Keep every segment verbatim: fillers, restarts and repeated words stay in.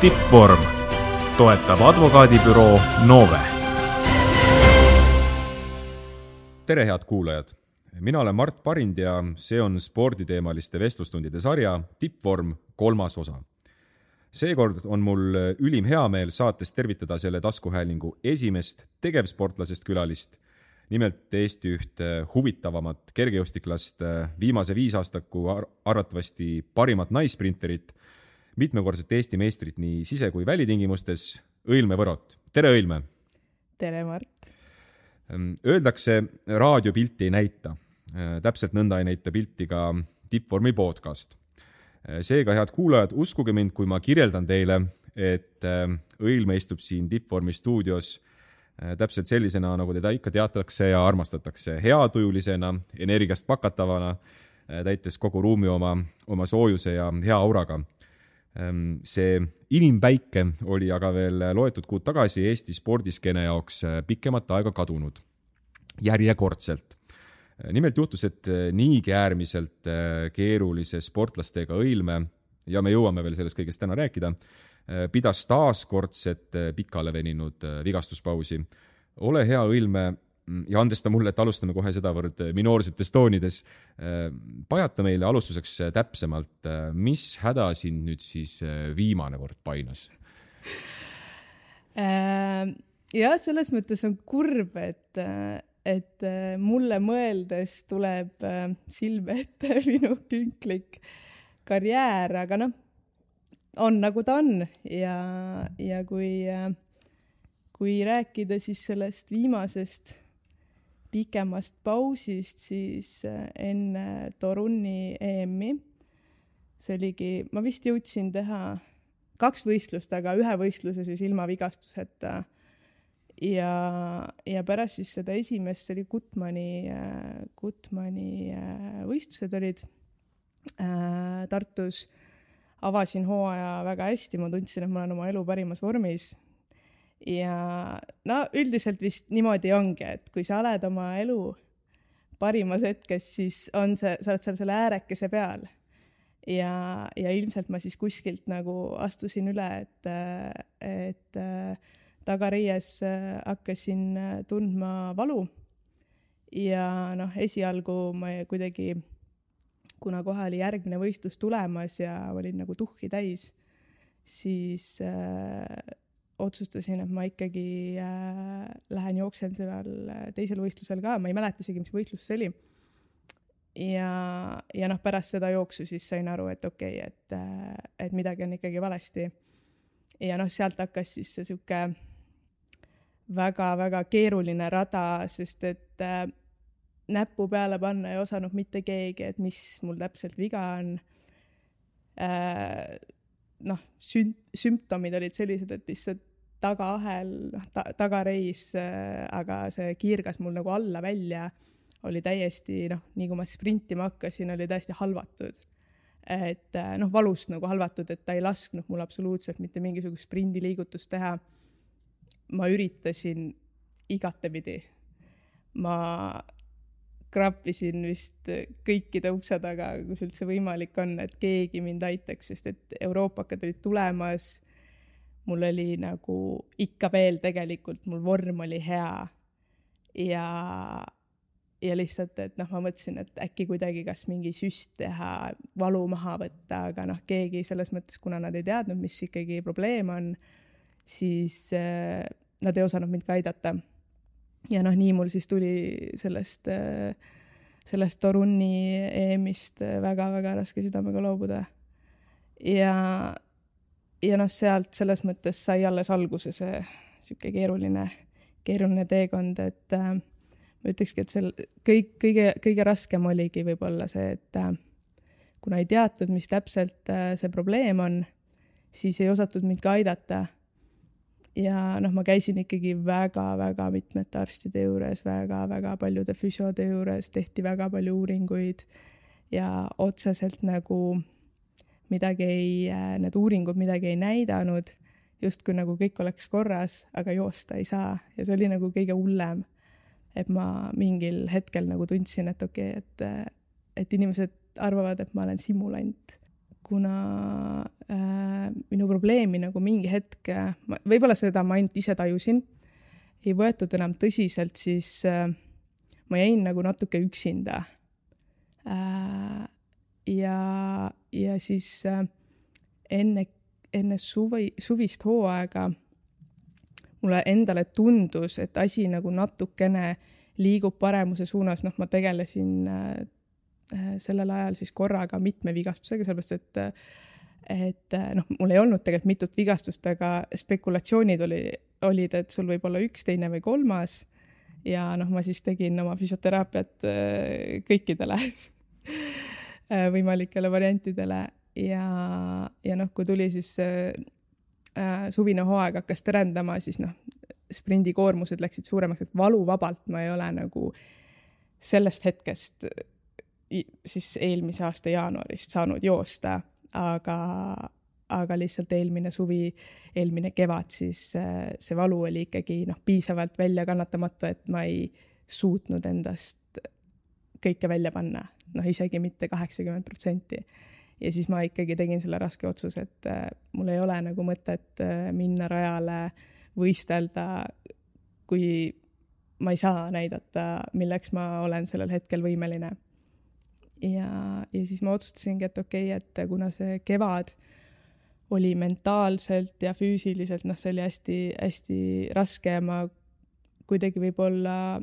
Tippvorm toetab advokaadibüroo Nove. Tere head kuulajad! Mina olen Mart Parind ja see on sporditeemaliste vestlustundide sarja Tippvorm kolmas osa. Seekord on mul ülim heameel saates tervitada selle taskuhäälingu esimest tegevsportlasest külalist, nimelt Eesti üht huvitavamat kergejõustiklast, viimase viisaastaku arvatavasti parimat naissprinterit, mitmekordset Eesti meistrit nii sise- kui välitingimustes, Õilme Võrot. Tere Õilme! Tere Mart! Öeldakse, raadiopilti ei näita. Täpselt nõnda ei näita pilti ka Tippvormi podcast. Seega, head kuulajad, uskuge mind, kui ma kirjeldan teile, et Õilme istub siin Tippvormi stuudios täpselt sellisena, nagu teda ikka teatakse ja armastatakse, heatujulisena, energiast pakatavana, täites kogu ruumi oma, oma soojuse ja hea auraga. See inimpäike oli aga veel loetud kuud tagasi Eesti spordiskeene jaoks pikemat aega kadunud. Järjekordselt. Nimelt juhtus, et niigi äärmiselt keerulise sportlastega Õilme, ja me jõuame veel sellest kõigest täna rääkida, pidas taaskordset pikale veninud vigastuspausi. Ole hea Õilme ja andesta mulle, et alustame kohe sedavõrd minoorsetes toonides. Pajata meile alustuseks täpsemalt, mis häda sind nüüd siis viimane kord painas? Ja selles mõttes on kurb, et, et mulle mõeldes tuleb silme ette minu künklik karjäär, aga noh, on nagu ta on ja, ja kui, kui rääkida siis sellest viimasest pikemast pausist, siis enne Toruni E M-i, see oligi, ma vist jõudsin teha kaks võistlust, aga ühe võistluse siis ilma vigastuseta ja, ja pärast siis seda esimest, see oli Gutmani, Gutmani võistlused olid äh, Tartus. Avasin hooaja väga hästi, ma tundsin, et ma olen oma elu parimas vormis. Ja no üldiselt vist niimoodi ongi, et kui sa oled oma elu parimas hetkes, siis on see, sa oled seal selle äärekese peal. Ja, ja ilmselt ma siis kuskilt nagu astusin üle, et, et tagareies hakkasin tundma valu. Ja noh, esialgu ma kuidagi kuna kohe oli järgmine võistlus tulemas ja olin nagu tuhhi täis, siis äh, otsustasin, et ma ikkagi äh, lähen jooksen sellel teisel võistlusel ka. Ma ei mäleta isegi, mis võistlus see oli. Ja, ja noh, pärast seda jooksu siis sain aru, et okei, okay, et, äh, et midagi on ikkagi valesti. Ja noh, sealt hakkas siis see siuke väga-väga keeruline rada, sest et äh, näppu peale panna ei osanud mitte keegi, et mis mul täpselt viga on. Äh, noh, süm- sümptomid olid sellised, et lihtsalt tagaahel, noh, ta- tagareis, äh, aga see kiirgas mul nagu alla välja, oli täiesti, noh, nii kui ma sprintima hakkasin, oli täiesti halvatud. Et äh, noh, valust nagu halvatud, et ta ei lasknud mul absoluutselt mitte mingisugust sprindiliigutust teha. Ma üritasin igatepidi. Ma krappisin vist kõikide ukse taga, kus üldse võimalik on, et keegi mind aitaks, sest et Euroopakad olid tulemas. Mul oli nagu ikka veel tegelikult, mul vorm oli hea ja, ja lihtsalt, et noh, ma mõtlesin, et äkki kuidagi kas mingi süst teha, valu maha võtta, aga noh, keegi selles mõttes, kuna nad ei teadnud, mis ikkagi probleem on, siis äh, nad ei osanud mind ka aidata. Ja noh, nii mul siis tuli sellest, sellest Toruni E M-ist väga-väga raske südamega loobuda. Ja, ja noh, sealt selles mõttes sai alles alguse see siuke keeruline, keeruline teekond, et äh, ma ütlekski, et seal kõik, kõige, kõige raskem oligi võib-olla see, et äh, kuna ei teatud, mis täpselt äh, see probleem on, siis ei osatud mind ka aidata. Ja noh, ma käisin ikkagi väga-väga mitmete arstide juures, väga-väga paljude füsiode juures, tehti väga palju uuringuid ja otseselt nagu midagi ei, need uuringud midagi ei näidanud, just kui nagu kõik oleks korras, aga joosta ei saa. Ja see oli nagu kõige hullem, et ma mingil hetkel nagu tundsin, et okei, okay, et, et inimesed arvavad, et ma olen simulant. kuna äh, minu probleemi nagu mingi hetk, võib-olla seda ma ainult ise tajusin, ei võetud enam tõsiselt, siis äh, ma jäin nagu natuke üksinda. Äh, ja, ja siis äh, enne, enne suvi, suvist hooaega mulle endale tundus, et asi nagu natukene liigub paremuse suunas, noh, ma tegelesin äh, sellel ajal siis korraga mitme vigastusega, sellepärast, et, et noh, mul ei olnud tegelikult mitut vigastust, aga spekulatsioonid oli, olid, et sul võib olla üks, teine või kolmas ja noh, ma siis tegin oma füsioteraapiat kõikidele võimalikele variantidele ja, ja noh, kui tuli siis äh, suvine hooaeg hakkas terendama, siis noh, sprindikoormused läksid suuremaks, et valuvabalt ma ei ole nagu sellest hetkest siis eelmise aasta jaanuarist saanud joosta, aga, aga lihtsalt eelmine suvi, eelmine kevad, siis see valu oli ikkagi noh, piisavalt välja kannatamatu, et ma ei suutnud endast kõike välja panna, noh isegi mitte kaheksakümmend protsenti. Ja siis ma ikkagi tegin selle raske otsuse, et mul ei ole nagu mõtet minna rajale, võistelda, kui ma ei saa näidata, milleks ma olen sellel hetkel võimeline. Ja, ja siis ma otsustasingi, et okei, okay, et kuna see kevad oli mentaalselt ja füüsiliselt, noh, see oli hästi, hästi raske ja ma kuidagi võib-olla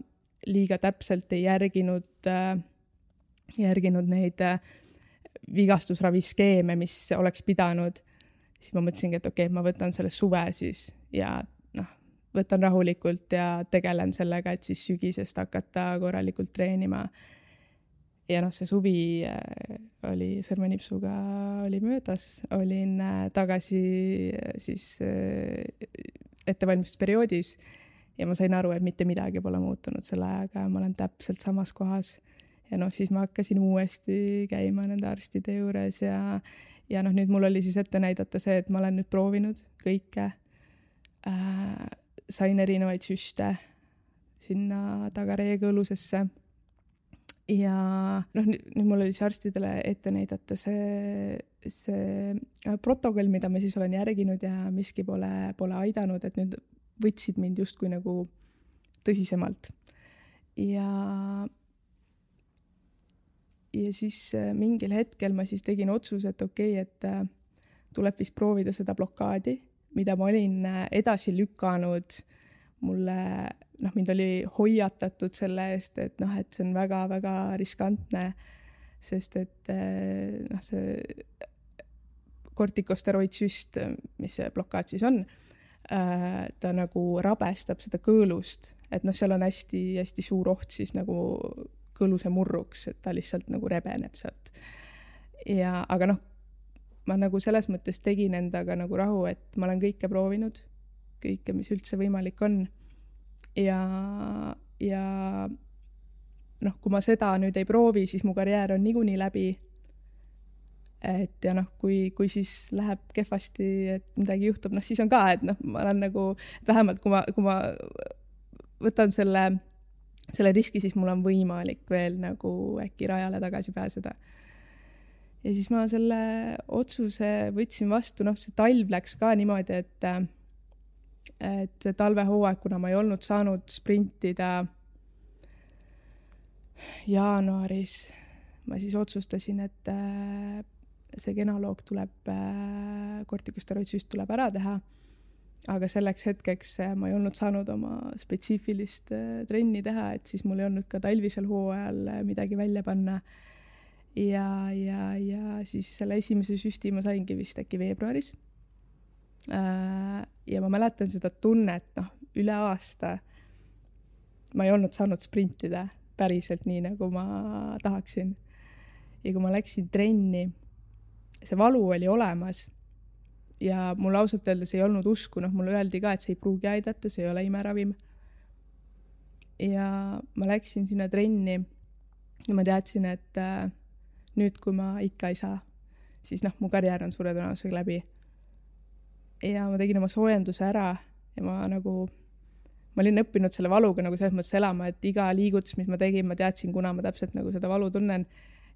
liiga täpselt ei järginud, järginud neid vigastusraviskeeme, mis oleks pidanud, siis ma mõtlesingi, et okei, okay, ma võtan selle suve siis ja noh, võtan rahulikult ja tegelen sellega, et siis sügisest hakata korralikult treenima. Ja noh, see suvi oli sõrmenipsuga oli möödas, olin tagasi siis ettevalmistusperioodis ja ma sain aru, et mitte midagi pole muutunud selle ajaga, ma olen täpselt samas kohas ja noh, siis ma hakkasin uuesti käima nende arstide juures ja, ja noh, nüüd mul oli siis ette näidata see, et ma olen nüüd proovinud kõike, äh, sain erinevaid süste sinna tagareega õlusesse. Ja noh, nüüd mul oli siis arstidele ette näidata see, see protokoll, mida ma siis olen järginud ja miski pole, pole aidanud, et nüüd võtsid mind justkui nagu tõsisemalt. Ja, ja siis mingil hetkel ma siis tegin otsuse, et okei, okay, et tuleb vist proovida seda blokaadi, mida ma olin edasi lükanud. Mulle, noh, mind oli hoiatatud selle eest, et noh, et see on väga-väga riskantne, sest et noh, see kortikosteroidsüst, mis see blokaad siis on, ta nagu rabestab seda kõõlust, et noh, seal on hästi, hästi suur oht siis nagu kõõluse murruks, et ta lihtsalt nagu rebeneb sealt. Ja, aga noh, ma nagu selles mõttes tegin endaga nagu rahu, et ma olen kõike proovinud, kõike, mis üldse võimalik on. Ja, ja noh, kui ma seda nüüd ei proovi, siis mu karjäär on niikuinii läbi. Et ja noh, kui, kui siis läheb kehvasti, et midagi juhtub, noh siis on ka, et noh, ma olen nagu, vähemalt kui ma, kui ma võtan selle, selle riski, siis mul on võimalik veel nagu äkki rajale tagasi pääseda. Ja siis ma selle otsuse võtsin vastu, noh see talv läks ka niimoodi, et et talvehooaeg, kuna ma ei olnud saanud sprintida jaanuaris, ma siis otsustasin, et see genaloog tuleb, kortikosteroidsüst tuleb ära teha, aga selleks hetkeks ma ei olnud saanud oma spetsiifilist trenni teha, et siis mul ei olnud ka talvisel hooajal midagi välja panna ja, ja, ja siis selle esimese süsti ma saingi vist äkki veebruaris. Ja ma mäletan seda tunnet, noh, üle aasta ma ei olnud saanud sprintida päriselt nii, nagu ma tahaksin. Ja kui ma läksin trenni, see valu oli olemas ja mul ausalt öeldes ei olnud usku, noh, mulle öeldi ka, et see ei pruugi aidata, see ei ole imeravim. Ja ma läksin sinna trenni ja ma teadsin, et äh, nüüd, kui ma ikka ei saa, siis noh, mu karjäär on suure tõenäosusega läbi. Ja ma tegin oma soojenduse ära ja ma nagu, ma olin õppinud selle valuga nagu selles mõttes elama, et iga liigutus, mis ma tegin, ma teadsin, kuna ma täpselt nagu seda valu tunnen,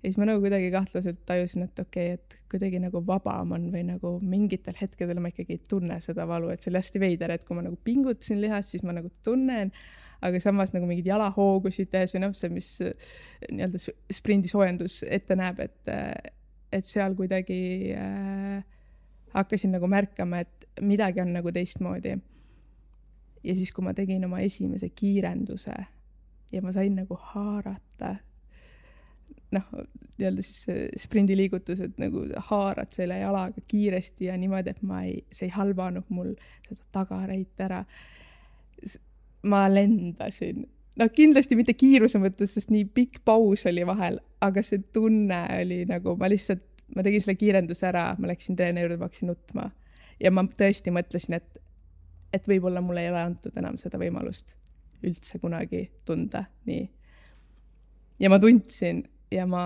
ja siis ma nagu kuidagi kahtlaselt tajusin, et okei okay,, et kuidagi nagu vabam on või nagu mingitel hetkedel ma ikkagi ei tunne seda valu, et see oli hästi veider, et kui ma nagu pingutasin lihast, siis ma nagu tunnen, aga samas nagu mingid jalahoogusid tees või noh, see, mis nii-öelda sprindisoojendus ette näeb, et, et seal kuidagi äh, hakkasin nagu märkama, et midagi on nagu teistmoodi. Ja siis, kui ma tegin oma esimese kiirenduse ja ma sain nagu haarata, noh, nii-öelda siis sprindiliigutused nagu haarad selle jalaga kiiresti ja niimoodi, et ma ei, see ei halvanud mul seda tagareit ära. Ma lendasin. No kindlasti mitte kiiruse mõttes, sest nii pikk paus oli vahel, aga see tunne oli nagu, ma lihtsalt, ma tegin selle kiirenduse ära, ma läksin treeni juurde, ma hakkasin nutma. Ja ma tõesti mõtlesin, et, et võib-olla mulle ei ole antud enam seda võimalust üldse kunagi tunda nii. Ja ma tundsin ja ma,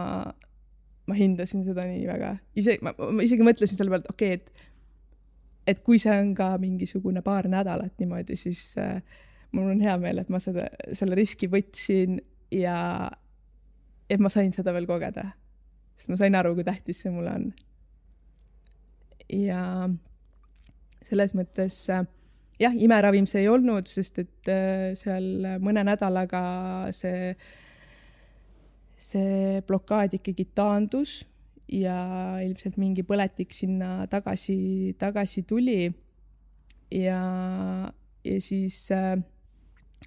ma hindasin seda nii väga. Ise, ma, ma isegi mõtlesin selle pealt, okei, okay, et, et kui see on ka mingisugune paar nädalat niimoodi, siis äh, mul on hea meel, et ma seda, selle riski võtsin ja et ma sain seda veel kogeda. Sest ma sain aru, kui tähtis see mulle on. Ja selles mõttes, jah, imeravim see ei olnud, sest et seal mõne nädalaga see, see blokaad ikkagi taandus ja ilmselt mingi põletik sinna tagasi, tagasi tuli. Ja, ja siis äh,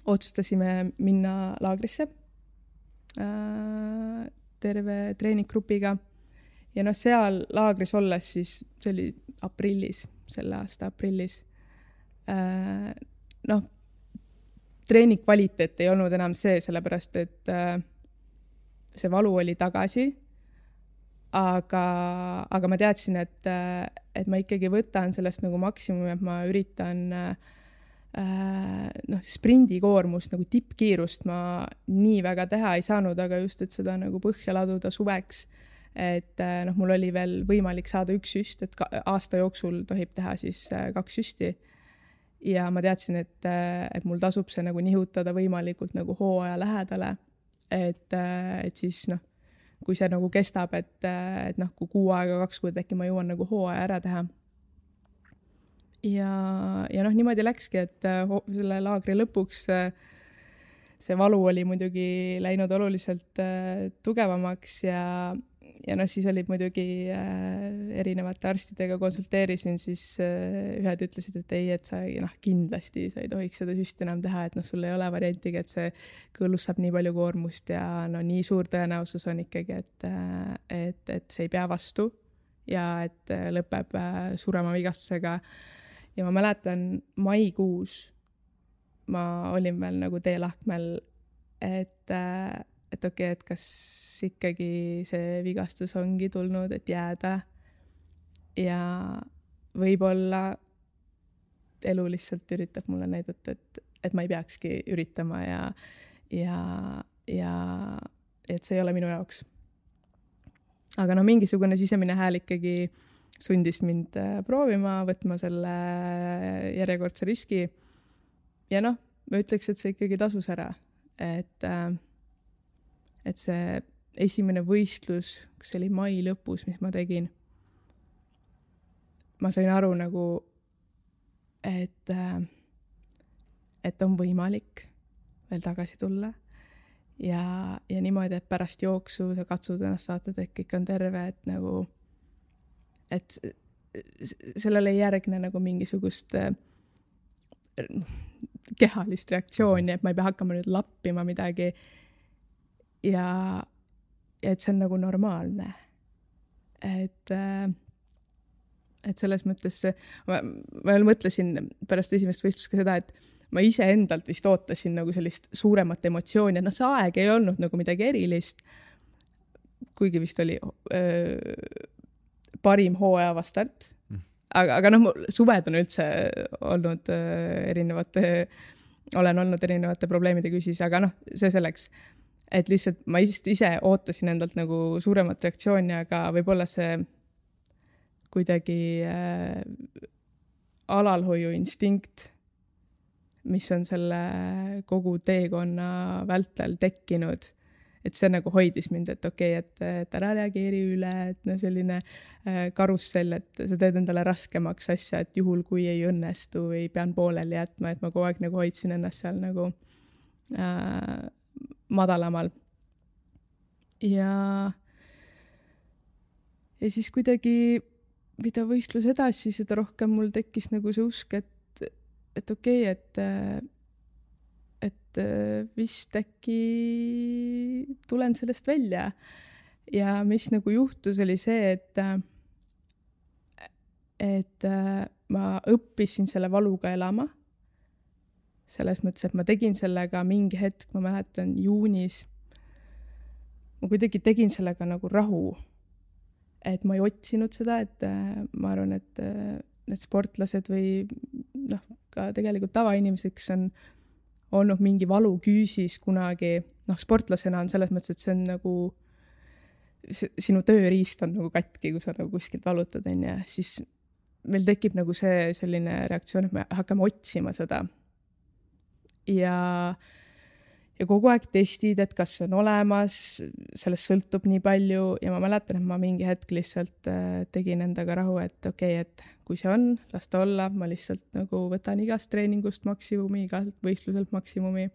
otsustasime minna laagrisse äh, terve treeninggrupiga ja noh, seal laagris olles siis, see oli aprillis, selle aasta aprillis, äh, noh, treening kvaliteet ei olnud enam see, sellepärast et äh, see valu oli tagasi, aga, aga ma teadsin, et, et ma ikkagi võtan sellest nagu maksimumi, et ma üritan äh, noh, sprindikoormust, nagu tippkiirust ma nii väga teha ei saanud, aga just, et seda nagu põhja laduda suveks, et noh, mul oli veel võimalik saada üks süst, et aasta jooksul tohib teha siis kaks süsti ja ma teadsin, et, et mul tasub see nagu nihutada võimalikult nagu hooaja lähedale, et, et siis noh, kui see nagu kestab, et, et noh, kui kuu aega, kaks kuud äkki ma jõuan nagu hooaja ära teha. Ja, ja noh, niimoodi läkski, et selle laagri lõpuks see valu oli muidugi läinud oluliselt tugevamaks ja, ja noh, siis olid muidugi erinevate arstidega konsulteerisin, siis ühed ütlesid, et ei, et sa noh, kindlasti sa ei tohiks seda süsti enam teha, et noh, sul ei ole variantiga, et see kõllus saab nii palju koormust ja no nii suur tõenäosus on ikkagi, et, et, et see ei pea vastu ja et lõpeb surema vigastusega. Ja ma mäletan maikuus ma olin veel nagu teelahkmel, et, et okei, et kas ikkagi see vigastus ongi tulnud, et jääda ja võib-olla elu lihtsalt üritab mulle näidata, et, et ma ei peakski üritama ja, ja, ja et see ei ole minu jaoks. Aga no mingisugune sisemine hääl ikkagi sundis mind proovima, võtma selle järjekordse riski. Ja noh, ma ütleks, et see ikkagi tasus ära. Et, et see esimene võistlus, kus oli mai lõpus, mis ma tegin, ma sain aru nagu, et, et on võimalik veel tagasi tulla. Ja, ja niimoodi, et pärast jooksu sa katsud ennast saata, et kõik on terve, et nagu et sellele ei järgne nagu mingisugust kehalist reaktsiooni, et ma ei pea hakkama nüüd lappima midagi ja, ja et see on nagu normaalne. Et, et selles mõttes ma, ma veel mõtlesin pärast esimest võistlust ka seda, et ma ise endalt vist ootasin nagu sellist suuremat emotsiooni, et noh, see aeg ei olnud nagu midagi erilist, kuigi vist oli öö, parim hooaja vastart. Aga, aga noh, suved on üldse olnud erinevate, olen olnud erinevate probleemide küsis, aga noh, see selleks, et lihtsalt ma ise ootasin endalt nagu suuremat reaktsiooni, aga võib-olla see kuidagi äh, alalhoiu instinkt, mis on selle kogu teekonna vältel tekkinud, et see nagu hoidis mind, et okei okay,, et, et ära reageeri üle, et no selline äh, karussell, et sa teed endale raskemaks asja, et juhul kui ei õnnestu või pean pooleli jätma, et ma kogu aeg nagu hoidsin ennast seal nagu äh, madalamal. Ja, ja siis kuidagi, mida võistlus edasi, seda rohkem mul tekkis nagu see usk, et, et okei okay,, et et vist äkki tulen sellest välja. Ja mis nagu juhtus, oli see, et, et ma õppisin selle valuga elama. Selles mõttes, et ma tegin sellega mingi hetk, ma mäletan juunis, ma kuidagi tegin sellega nagu rahu. Et ma ei otsinud seda, et ma arvan, et need sportlased või noh, ka tegelikult tavainimesed, kes on olnud mingi valu küüsis kunagi, noh, sportlasena on selles mõttes, et see on nagu, sinu tööriist on nagu katki, kui sa nagu kuskilt valutad, on ja siis meil tekib nagu see selline reaktsioon, et me hakkame otsima seda. Ja, ja kogu aeg testid, et kas see on olemas, sellest sõltub nii palju ja ma mäletan, et ma mingi hetk lihtsalt tegin endaga rahu, et okei, okay, et kui see on, las ta olla, ma lihtsalt nagu võtan igast treeningust maksimumi, igalt võistluselt maksimumi.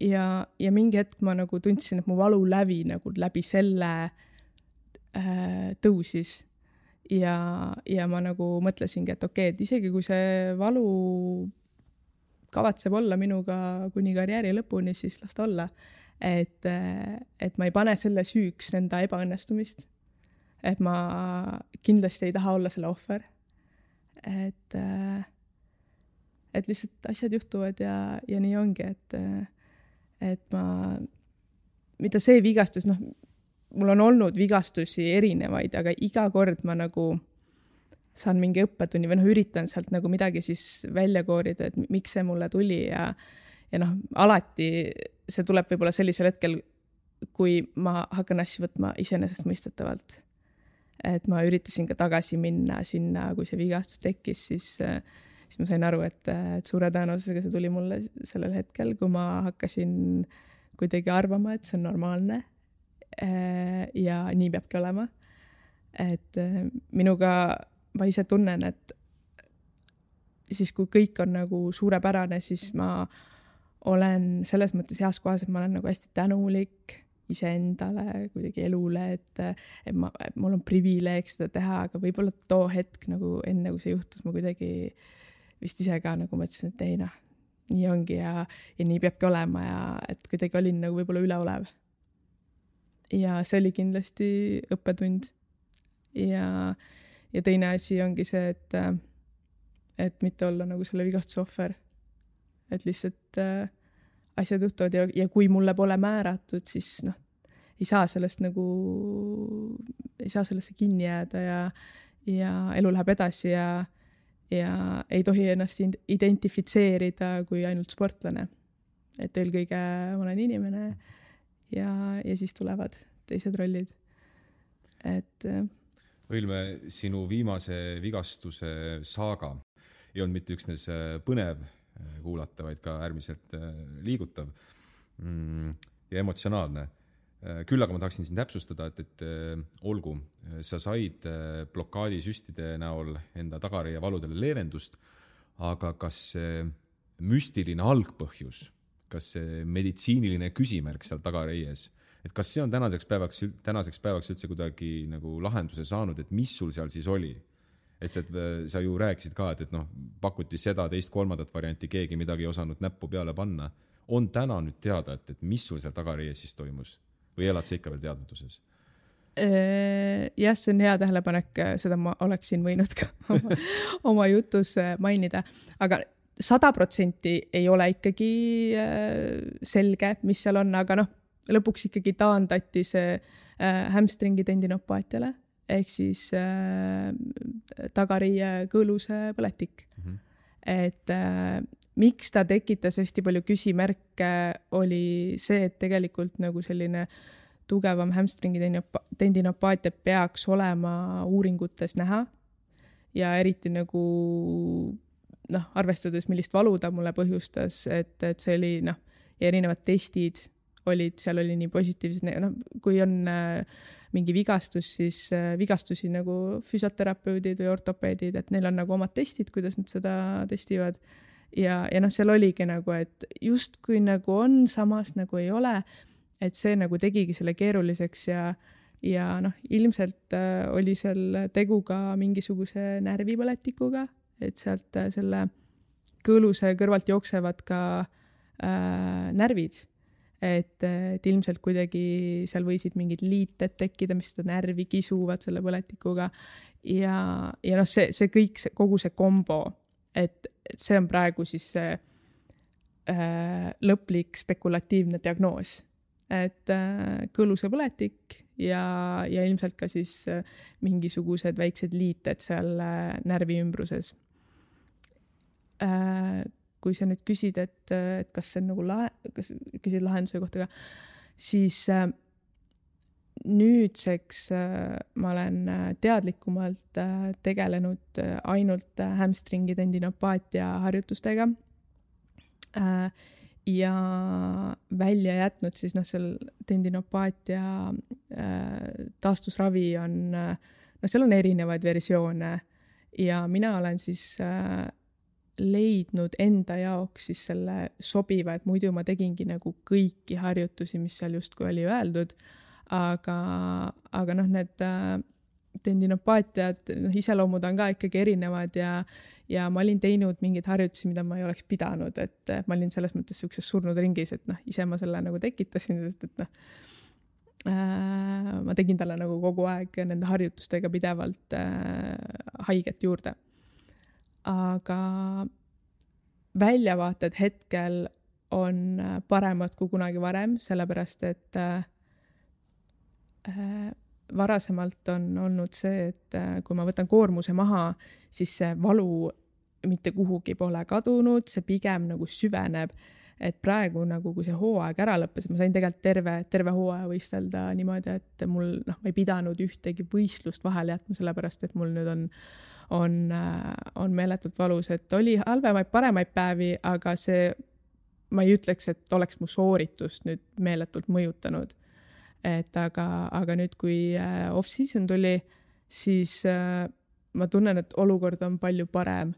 Ja, ja mingi hetk ma nagu tundsin, et mu valu läbi nagu läbi selle äh, tõusis. Ja, ja ma nagu mõtlesingi, et okei, okay, et isegi kui see valu kavatseb olla minuga kuni karjääri lõpuni, siis las ta olla. Et, et ma ei pane selle süüks enda ebaõnnestumist. Et ma kindlasti ei taha olla selle ohver. Et, et lihtsalt asjad juhtuvad ja, ja nii ongi, et, et ma, mida see vigastus, noh, mul on olnud vigastusi erinevaid, aga iga kord ma nagu saan mingi õppetunni või noh, üritan sealt nagu midagi siis välja koorida, et miks see mulle tuli ja, ja noh, alati see tuleb võib-olla sellisel hetkel, kui ma hakkan asju võtma iseenesest mõistetavalt. Et ma üritasin ka tagasi minna sinna, kui see vigastus tekkis, siis, siis ma sain aru, et, et suure tõenäosusega see tuli mulle sellel hetkel, kui ma hakkasin kuidagi arvama, et see on normaalne ja nii peabki olema. Et minuga ma ise tunnen, et siis kui kõik on nagu suurepärane, siis ma olen selles mõttes heas kohas, et ma olen nagu hästi tänulik iseendale, kuidagi elule, et, et, ma, et mul on privileeg seda teha, aga võib-olla too hetk nagu enne, kui see juhtus, ma kuidagi vist ise ka nagu mõtlesin, et ei noh, nii ongi ja, ja nii peabki olema ja et kuidagi olin nagu võib-olla üleolev. Ja see oli kindlasti õppetund. Ja, ja teine asi ongi see, et, et mitte olla nagu selle vigastuse ohver. Et lihtsalt äh, asjad juhtuvad ja, ja kui mulle pole määratud, siis noh, ei saa sellest nagu, ei saa sellesse kinni jääda ja, ja elu läheb edasi ja, ja ei tohi ennast identifitseerida kui ainult sportlane. Et eelkõige olen inimene ja, ja siis tulevad teised rollid. Et Õilme, sinu viimase vigastuse saaga ei olnud mitte üksnes põnev kuulata, vaid ka äärmiselt liigutav ja emotsionaalne. Küll aga ma tahaksin siin täpsustada, et, et olgu, sa said blokaadisüstide näol enda tagareie valudele leevendust, aga kas see müstiline algpõhjus, kas see meditsiiniline küsimärk seal tagareies, et kas see on tänaseks päevaks, tänaseks päevaks üldse kuidagi nagu lahenduse saanud, et mis sul seal siis oli? Sest et sa ju rääkisid ka, et, et noh, pakuti seda teist kolmandat varianti, keegi midagi ei osanud näppu peale panna. On täna nüüd teada, et, et mis sul seal tagareies siis toimus? Või elad sa ikka veel teadmatuses? Jah, see on hea tähelepanek, seda ma oleksin võinud ka oma, oma jutus mainida. Aga sada protsenti ei ole ikkagi selge, mis seal on, aga noh, lõpuks ikkagi taandati see hamstringi tendinopaatiale. Ehk siis äh, tagareie kõõluse põletik. Mm-hmm. Et äh, miks ta tekitas hästi palju küsimärke oli see, et tegelikult nagu selline tugevam hamstringi tendinopaatia peaks olema uuringutes näha ja eriti nagu noh, arvestades, millist valu ta mulle põhjustas, et, et see oli noh, ja erinevad testid olid, seal oli nii positiivsed, noh, kui on äh, mingi vigastus, siis äh, vigastusi nagu füsioterapeudid või ortopeedid, et neil on nagu omad testid, kuidas nad seda testivad. Ja, ja noh, seal oligi nagu, et justkui nagu on, samas nagu ei ole, et see nagu tegigi selle keeruliseks ja, ja noh, ilmselt äh, oli seal tegu ka mingisuguse närvipõletikuga, et sealt äh, selle kõõluse kõrvalt jooksevad ka äh, närvid. Et, et ilmselt kuidagi seal võisid mingid liited tekkida, mis seda närvi kisuvad selle põletikuga. Ja, ja noh, see, see kõik, see, kogu see kombo, et, et see on praegu siis see äh, lõplik spekulatiivne diagnoos. Et äh, kõõluse põletik ja, ja ilmselt ka siis äh, mingisugused väiksed liited seal äh, närvi ümbruses. Äh, kui sa nüüd küsid, et, et kas see on nagu lahe, kas küsid lahenduse kohta ka, siis äh, nüüdseks äh, ma olen teadlikumalt äh, tegelenud äh, ainult äh, hamstringi tendinopaatia harjutustega äh, ja välja jätnud siis noh, seal tendinopaatia äh, taastusravi on, äh, no seal on erinevaid versioone ja mina olen siis äh, leidnud enda jaoks siis selle sobiva, et muidu ma tegingi nagu kõiki harjutusi, mis seal justkui oli öeldud, aga, aga noh, need äh, tendinopaatiad, noh, iseloomud on ka ikkagi erinevad ja, ja ma olin teinud mingeid harjutusi, mida ma ei oleks pidanud, et ma olin selles mõttes sellises surnud ringis, et noh, ise ma selle nagu tekitasin, sest et noh, äh, ma tegin talle nagu kogu aeg nende harjutustega pidevalt äh, haiget juurde. Aga väljavaated hetkel on paremad kui kunagi varem, sellepärast et äh, varasemalt on olnud see, et äh, kui ma võtan koormuse maha, siis see valu mitte kuhugi pole kadunud, see pigem nagu süveneb, et praegu nagu kui see hooaeg ära lõppes, ma sain tegelikult terve, terve hooaja võistelda niimoodi, et mul noh, ma ei pidanud ühtegi võistlust vahele jätma, sellepärast et mul nüüd on on, on meeletult valus, et oli halvemaid, paremaid päevi, aga see, ma ei ütleks, et oleks mu sooritust nüüd meeletult mõjutanud. Et aga, aga nüüd, kui off-season tuli, siis ma tunnen, et olukord on palju parem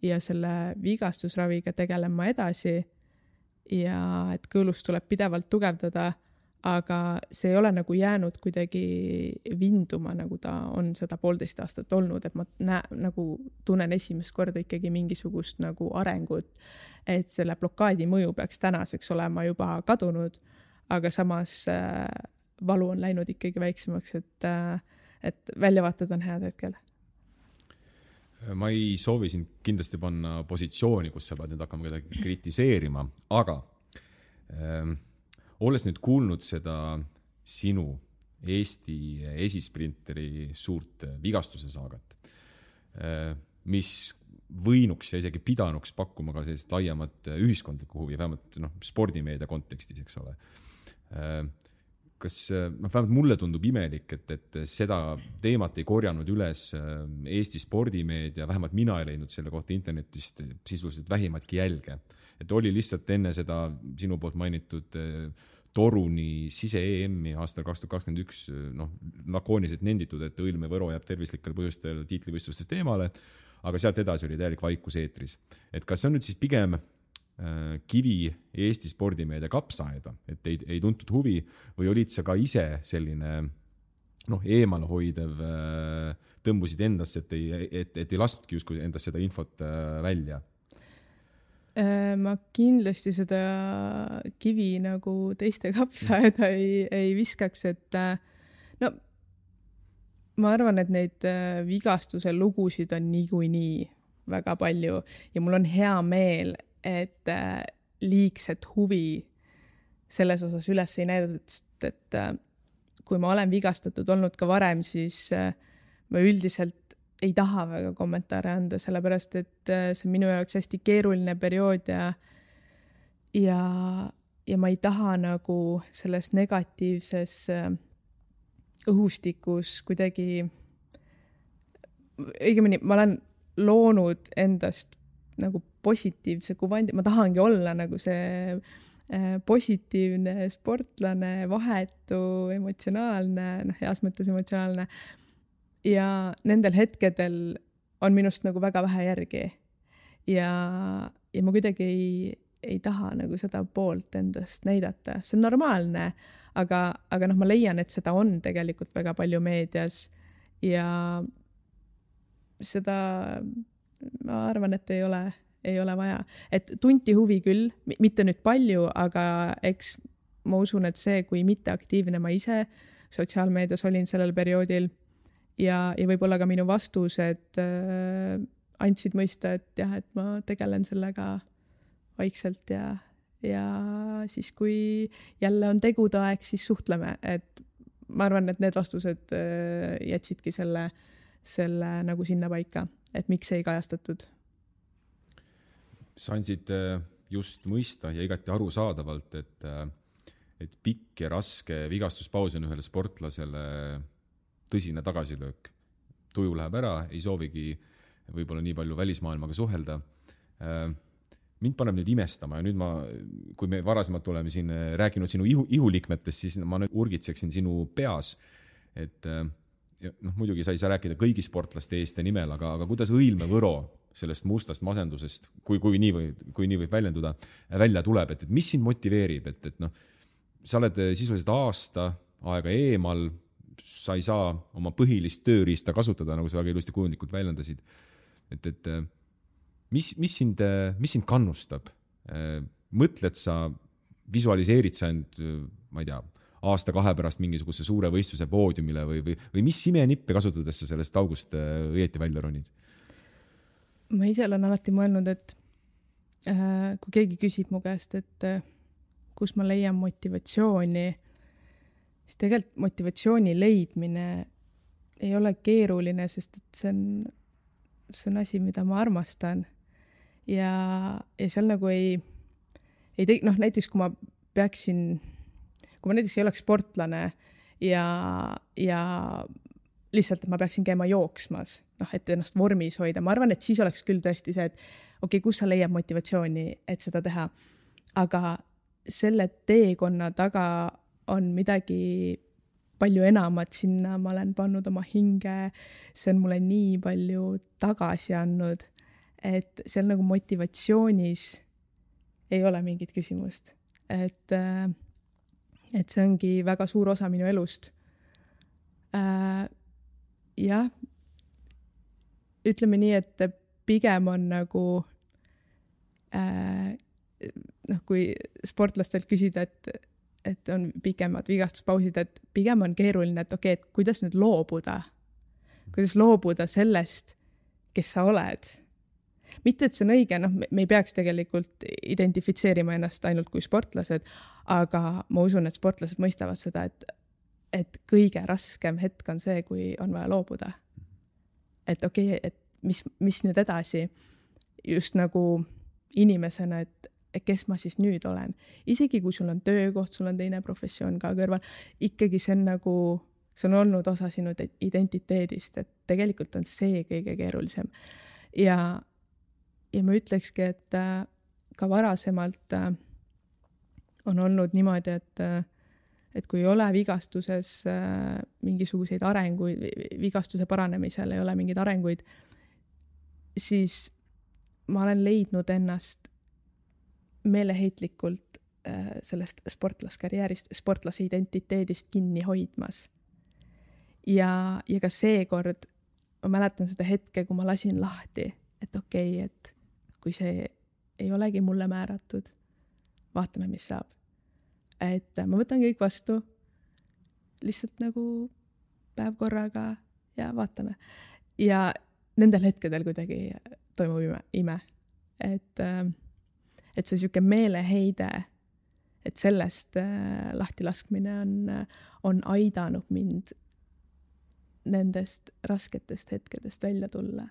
ja selle vigastusraviga tegelen ma edasi ja et kõõlust tuleb pidevalt tugevdada, aga see ei ole nagu jäänud kuidagi vinduma, nagu ta on seda poolteist aastat olnud, et ma näe, nagu tunnen esimest korda ikkagi mingisugust nagu arengut, et selle blokaadi mõju peaks tänaseks olema juba kadunud, aga samas äh, valu on läinud ikkagi väiksemaks, et, äh, et väljavaated on head hetkel. Ma ei soovi sind kindlasti panna positsiooni, kus sa pead nüüd hakkama kedagi kritiseerima, aga ähm, olles nüüd kuulnud seda sinu Eesti esisprinteri suurt vigastuse saagat, mis võinuks ja isegi pidanuks pakkuma ka sellist laiemat ühiskondlikku huvi, vähemalt noh, spordimeedia kontekstis, eks ole. Kas, noh, vähemalt mulle tundub imelik, et, et seda teemat ei korjanud üles Eesti spordimeedia, vähemalt mina ei leidnud selle kohta internetist sisuliselt vähimatki jälge. Et oli lihtsalt enne seda sinu poolt mainitud Toruni sise-E M-i aastal kaks tuhat kakskümmend üks noh, lakooniliselt nenditud, et Õilme Võro jääb tervislikel põhjustel tiitlivõistlustest eemale, aga sealt edasi oli täielik vaikus eetris. Et kas see on nüüd siis pigem äh, kivi Eesti spordimeedia kapsaaeda, et ei, ei tuntud huvi või olid sa ka ise selline noh, eemale hoidev, äh, tõmbusid endasse, et ei, et, et ei lastudki justkui endast seda infot äh, välja? Ma kindlasti seda kivi nagu teiste kapsaaeda ei, ei viskaks, et no ma arvan, et neid vigastuse lugusid on niikuinii väga palju ja mul on hea meel, et liigset huvi selles osas üles ei näidatud, et kui ma olen vigastatud olnud ka varem, siis ma üldiselt ei taha väga kommentaare anda, sellepärast et see on minu jaoks hästi keeruline periood ja, ja, ja ma ei taha nagu selles negatiivses õhustikus kuidagi, õigemini ma olen loonud endast nagu positiivse kuvandi, ma tahangi olla nagu see positiivne sportlane, vahetu, emotsionaalne, noh, heas mõttes emotsionaalne. Ja nendel hetkedel on minust nagu väga vähe järgi. Ja, ja ma kuidagi ei, ei taha nagu seda poolt endast näidata. See on normaalne, aga, aga noh, ma leian, et seda on tegelikult väga palju meedias ja seda ma arvan, et ei ole, ei ole vaja. Et tunti huvi küll, mitte nüüd palju, aga eks ma usun, et see, kui mitte aktiivne ma ise sotsiaalmeedias olin sellel perioodil ja, ja võib-olla ka minu vastused äh, andsid mõista, et jah, et ma tegelen sellega vaikselt ja, ja siis, kui jälle on tegude aeg, siis suhtleme. Et ma arvan, et need vastused äh, jätsidki selle, selle nagu sinna paika, et miks ei kajastatud. Sa andsid just mõista ja igati arusaadavalt, et, et pikk ja raske vigastuspaus on ühele sportlasele tõsine tagasilöök. Tuju läheb ära, ei soovigi võib-olla nii palju välismaailmaga suhelda. Mind paneb nüüd imestama ja nüüd ma, kui me varasemalt oleme siin rääkinud sinu ihu, ihulikmetest, siis ma nüüd urgitseksin sinu peas, et noh, muidugi sa ei saa rääkida kõigi sportlaste eest ja nimel, aga, aga kuidas Õilme Võro sellest mustast masendusest, kui, kui, nii, või, kui nii võib väljenduda, välja tuleb, et, et mis sind motiveerib, et, et noh, sa oled sisuliselt aasta aega eemal, sa ei saa oma põhilist tööriista kasutada, nagu sa väga ilusti kujundlikult väljendasid. Et, et mis, mis, sind, mis sind kannustab? Mõtled sa, visualiseerid sa end, ma ei tea, aasta kahe pärast mingisuguse suure võistluse poodiumile või, või, või mis imenippe kasutades sa sellest august õieti välja ronid? Ma ise olen alati mõelnud, et äh, kui keegi küsib mu käest, et äh, kus ma leian motivatsiooni, siis tegelikult motivatsiooni leidmine ei ole keeruline, sest et see on, see on asi, mida ma armastan. Ja, ja seal nagu ei, ei te, noh, näiteks kui ma peaksin, kui ma näiteks ei oleks sportlane ja, ja lihtsalt, et ma peaksin käima jooksmas, noh, et ennast vormis hoida. Ma arvan, et siis oleks küll tõesti see, et okei, okay, kus sa leiab motivatsiooni, et seda teha. Aga selle teekonna taga on midagi palju enamat sinna. Ma olen pannud oma hinge, see on mulle nii palju tagasi andnud, et seal nagu motivatsioonis ei ole mingit küsimust. Et, et see ongi väga suur osa minu elust. Jah, ütleme nii, et pigem on nagu äh, noh, kui sportlastelt küsida, et, et on pikemad vigastuspausid, et pigem on keeruline, et okei, okay, et kuidas nüüd loobuda, kuidas loobuda sellest, kes sa oled. Mitte, et see on õige, noh, me ei peaks tegelikult identifitseerima ennast ainult kui sportlased, aga ma usun, et sportlased mõistavad seda, et et kõige raskem hetk on see, kui on vaja loobuda. Et okei, okay, et mis, mis nüüd edasi, just nagu inimesena, et, et kes ma siis nüüd olen. Isegi kui sul on töökoht, sul on teine professioon ka kõrval, ikkagi see on nagu, see on olnud osa sinu identiteedist, et tegelikult on see kõige keerulisem. Ja, ja ma ütlekski, et ka varasemalt on olnud niimoodi, et et kui ei ole vigastuses äh, mingisuguseid arenguid, vigastuse paranemisel ei ole mingeid arenguid, siis ma olen leidnud ennast meeleheitlikult äh, sellest sportlaskarjäärist, sportlase identiteedist kinni hoidmas. Ja, ja ka seekord ma mäletan seda hetke, kui ma lasin lahti, et okei, okay, et kui see ei olegi mulle määratud, vaatame, mis saab. Et ma võtan kõik vastu, lihtsalt nagu päev korraga ja vaatame. Ja nendel hetkedel kuidagi toimub ime. ime. Et, et see siuke meeleheide, et sellest lahti laskmine on, on aidanud mind nendest rasketest hetkedest välja tulla.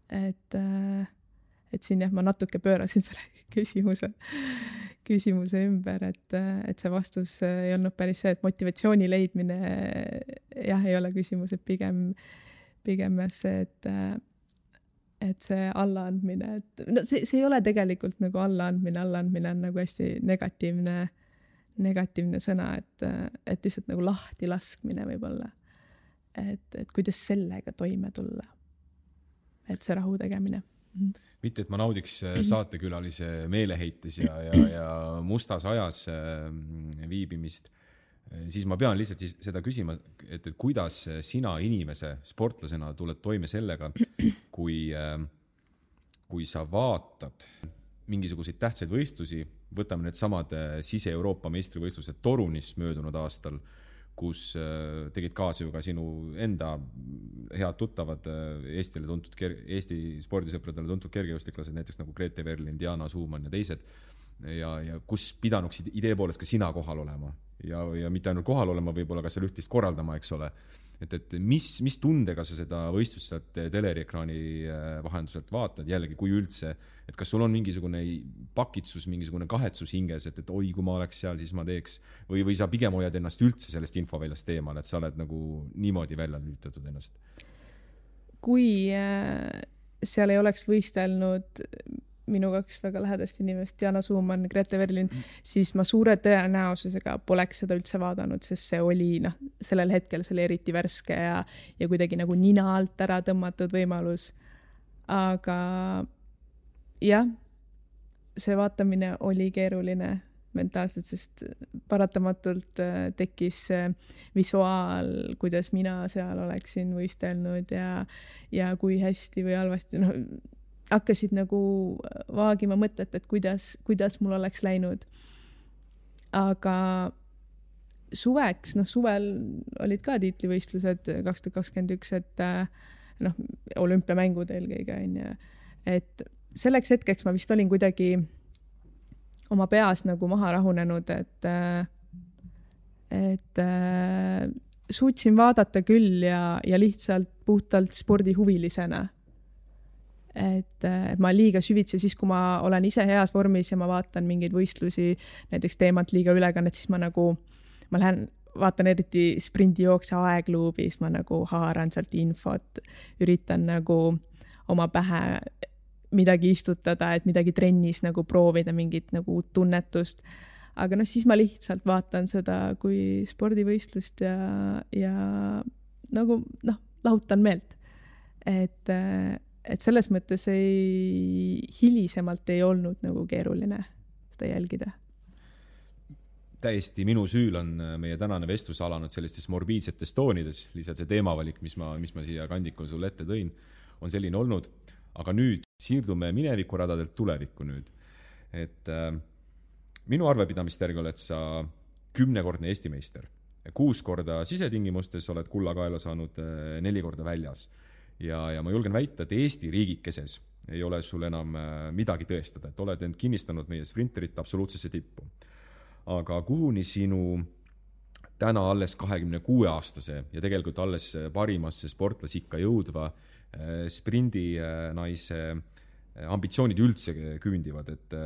Et, et siin jah, ma natuke pöörasin selle küsimuse küsimuse ümber, et, et see vastus ei olnud päris see, et motivatsiooni leidmine jah, ei ole küsimus, et pigem, pigem see, et, et see allaandmine, et no see, see ei ole tegelikult nagu allaandmine, allaandmine on nagu hästi negatiivne, negatiivne sõna, et, et lihtsalt nagu lahti laskmine võib-olla. Et, et kuidas sellega toime tulla. Et see rahu tegemine. Mitte, et ma naudiks saatekülalise meeleheites ja, ja, ja mustas ajas viibimist, siis ma pean lihtsalt siis seda küsima, et, et kuidas sina inimese, sportlasena tuled toime sellega, kui, kui sa vaatad mingisuguseid tähtsaid võistlusi, võtame need samad Sise-Euroopa meistrivõistlused Torunis möödunud aastal, kus tegid kaasa ju ka sinu enda head tuttavad Eestile tuntud, Eesti spordisõpradele tuntud kergejõustiklased, näiteks nagu Grete Verlin, Diana Suumann ja teised, ja, ja kus pidanuksid idee poolest ka sina kohal olema ja, ja mitte ainult kohal olema, võib-olla ka seal üht-teist korraldama, eks ole. Et, et mis, mis tundega sa seda võistlust sealt teleriekraani vahenduselt vaatad, jällegi kui üldse, et kas sul on mingisugune pakitsus, mingisugune kahetsus hinges, et, et oi, kui ma oleks seal, siis ma teeks, või, või sa pigem hoiad ennast üldse sellest infoväljast eemal, et sa oled nagu niimoodi välja lülitatud ennast? Kui seal ei oleks võistelnud minu kaks väga lähedast inimest, Diana Suumann, Grete Verlin, siis ma suure tõenäosusega poleks seda üldse vaadanud, sest see oli, noh, sellel hetkel see oli eriti värske ja, ja kuidagi nagu nina alt ära tõmmatud võimalus. Aga jah, see vaatamine oli keeruline mentaalselt, sest paratamatult tekkis visuaal, kuidas mina seal oleksin võistelnud ja, ja kui hästi või halvasti, noh, hakkasid nagu vaagima mõtet, et kuidas, kuidas mul oleks läinud. Aga suveks, noh suvel olid ka tiitlivõistlused kaks tuhat kakskümmend üks, et noh, olümpiamängud eelkõige on ja, et selleks hetkeks ma vist olin kuidagi oma peas nagu maha rahunenud, et, et suutsin vaadata küll ja, ja lihtsalt puhtalt spordihuvilisena. Et, et ma liiga süvitse siis, kui ma olen ise heas vormis ja ma vaatan mingeid võistlusi, näiteks teemant liiga ülekannet, siis ma nagu, ma lähen, vaatan eriti sprindijookse aegluubis, ma nagu haaran sealt infot, üritan nagu oma pähe midagi istutada, et midagi trennis nagu proovida, mingit nagu tunnetust. Aga noh, siis ma lihtsalt vaatan seda kui spordivõistlust ja, ja nagu noh, lahutan meelt. Et et selles mõttes ei, hilisemalt ei olnud nagu keeruline seda jälgida. Täiesti minu süül on meie tänane vestlus alanud sellistes morbiidsetes toonides, lihtsalt see teemavalik, mis ma, mis ma siia kandikul sulle ette tõin, on selline olnud. Aga nüüd siirdume minevikuradadelt tulevikku nüüd. Et äh, minu arvepidamist järgi oled sa kümnekordne Eesti meister. Kuus korda sisetingimustes oled kulla kaela saanud äh, neli korda väljas. Ja, ja ma julgen väita, et Eesti riigikeses ei ole sul enam midagi tõestada, et oled end kinnistanud meie sprinterit absoluutsesse tippu. Aga kuhuni sinu täna alles kahekümne kuue aastase ja tegelikult alles parimasse sportlasikka jõudva sprindi naise ambitsioonid üldse küündivad, et,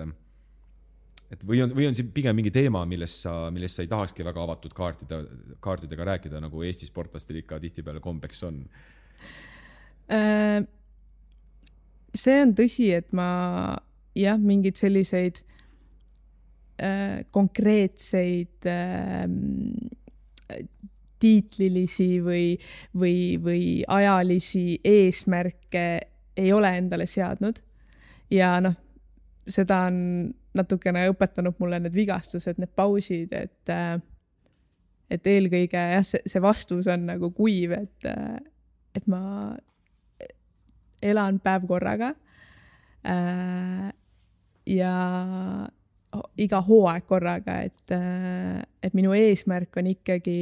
et või, on, või on see pigem mingi teema, millest sa, millest sa ei tahakski väga avatud kaartide, kaartidega rääkida, nagu Eesti sportlastel ikka tihtipeale kombeks on? See on tõsi, et ma jah, mingid selliseid äh, konkreetseid äh, tiitlilisi või, või, või ajalisi eesmärke ei ole endale seadnud. Ja noh, seda on natukene õpetanud mulle need vigastused, need pausid, et, äh, et eelkõige jah, see, see vastus on nagu kuiv, et, äh, et ma elan päev korraga äh, ja iga hooaeg korraga, et, äh, et minu eesmärk on ikkagi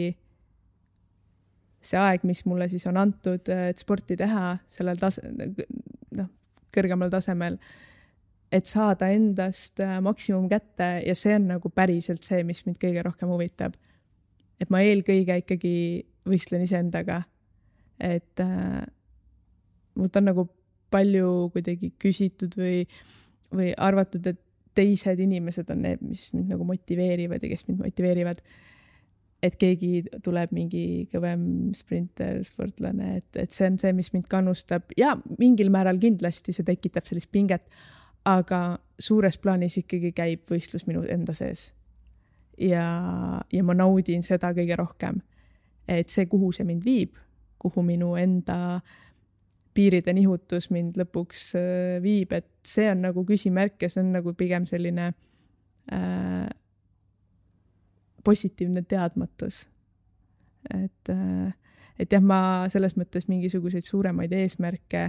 see aeg, mis mulle siis on antud, et sporti teha sellel tase, noh, kõrgemal tasemel, et saada endast maksimum kätte ja see on nagu päriselt see, mis mind kõige rohkem huvitab. Et ma eelkõige ikkagi võistlen iseendaga, et äh, mult on nagu palju kuidagi küsitud või, või arvatud, et teised inimesed on need, mis mind nagu motiveerivad ja kes mind motiveerivad. et keegi tuleb mingi kõvem sprinter, sportlane, et, et see on see, mis mind kannustab ja mingil määral kindlasti see tekitab sellist pinget, aga suures plaanis ikkagi käib võistlus minu enda sees. Ja, ja ma naudin seda kõige rohkem, et see, kuhu see mind viib, kuhu minu enda piiride nihutus mind lõpuks viib, et see on nagu küsimärk ja see on nagu pigem selline äh, positiivne teadmatus. Et, äh, et jah, ma selles mõttes mingisuguseid suuremaid eesmärke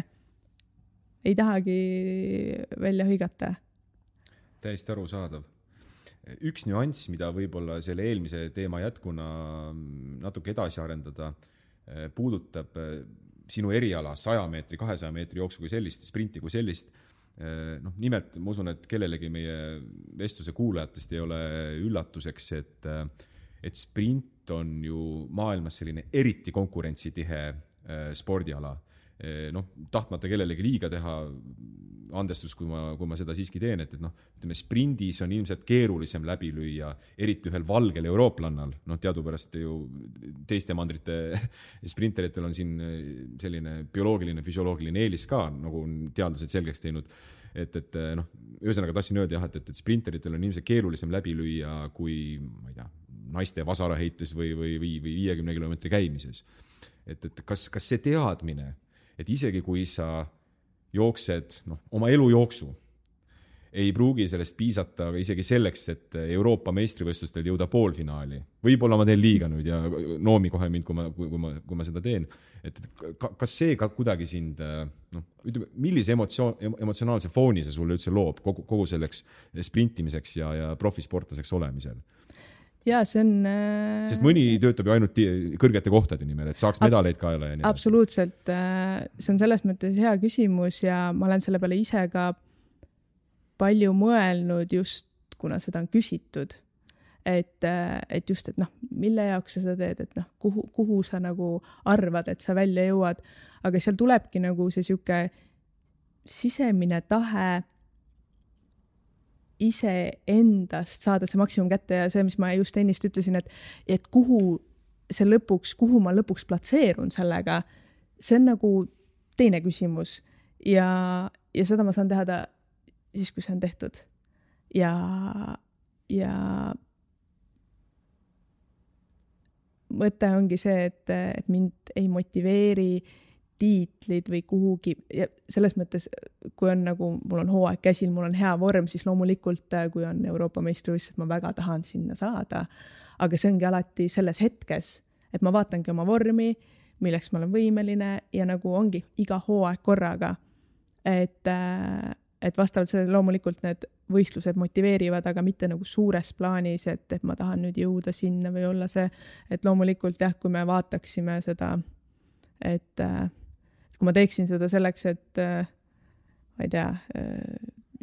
ei tahagi välja hõigata. Täiesti arusaadav. Üks nüanss, mida võib-olla selle eelmise teema jätkuna natuke edasi arendada, puudutab sinu eriala saja meetri, kahesaja meetri jooksu kui sellist, sprinti kui sellist. No, nimelt, ma usun, et kellelegi meie vestluse kuulajatest ei ole üllatuseks, et, et sprint on ju maailmas selline eriti konkurentsitihe spordiala. No, tahtmata kellelegi liiga teha, andestus, kui ma, kui ma seda siiski teen, et, et noh, ütleme, sprindis on ilmselt keerulisem läbi lüüa, eriti ühel valgel eurooplannal. No, teadupärast ju teiste mandrite sprinteritel on siin selline bioloogiline, füsioloogiline eelis ka, nagu on teadlased selgeks teinud. Et, et noh, ühesõnaga tahtsin öelda jah, et, et sprinteritel on ilmselt keerulisem läbi lüüa kui, ma ei tea, naiste vasaraheites või, või, või viiekümne kilomeetri käimises. Et, et kas, kas see teadmine, et isegi kui sa jooksed no, oma elu jooksu, ei pruugi sellest piisata isegi selleks, et Euroopa meistrivõistlustel jõuda poolfinaali. Võib-olla ma teen liiga nüüd ja noomi kohe mind, kui ma, kui, kui ma, kui ma seda teen. Et kas see ka kuidagi sind, no, ütleme, millise emotsioon, emotsionaalse fooni see sulle üldse loob kogu, kogu selleks sprintimiseks ja, ja profisportlaseks olemisel? Ja, see on... Sest mõni töötab ju ainult kõrgete kohtade nimel, et saaks medaleid kaela ja nii. Absoluutselt. See on selles mõttes hea küsimus ja ma olen selle peale ise ka palju mõelnud just, kuna seda on küsitud. Et, et just, et noh, mille jaoks sa seda teed, et noh, kuhu, kuhu sa nagu arvad, et sa välja jõuad. Aga seal tulebki nagu see siuke sisemine tahe ise endast saada see maksimum kätte ja see, mis ma just ennist ütlesin, et, et kuhu see lõpuks, kuhu ma lõpuks platseerun sellega, see on nagu teine küsimus ja, ja seda ma saan teha ta siis, kui see on tehtud. Ja, ja mõte ongi see, et, et mind ei motiveeri tiitlid või kuhugi ja selles mõttes, kui on nagu, mul on hooaeg käsil, mul on hea vorm, siis loomulikult, kui on Euroopa meistrivõistlus, ma väga tahan sinna saada, aga see ongi alati selles hetkes, et ma vaatangi oma vormi, milleks ma olen võimeline ja nagu ongi iga hooaeg korraga, et, et vastavalt sellele loomulikult need võistlused motiveerivad, aga mitte nagu suures plaanis, et, et ma tahan nüüd jõuda sinna või olla see, et loomulikult jah, kui me vaataksime seda, et kui ma teeksin seda selleks, et ma ei tea,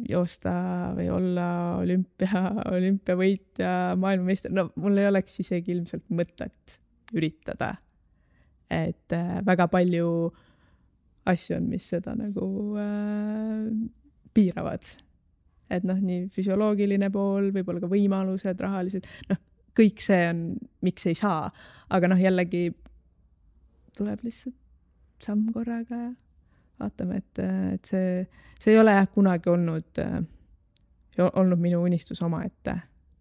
joosta või olla olümpia, olümpiavõitja, maailmameister, no mul ei oleks isegi ilmselt mõtet üritada. Et väga palju asju on, mis seda nagu äh, piiravad. Et noh, nii füsioloogiline pool, võib-olla ka võimalused, rahalised, noh, kõik see on, miks ei saa. Aga noh, jällegi tuleb lihtsalt samm korraga ja vaatame, et, et see, see ei ole jah kunagi olnud, olnud minu unistus oma ette,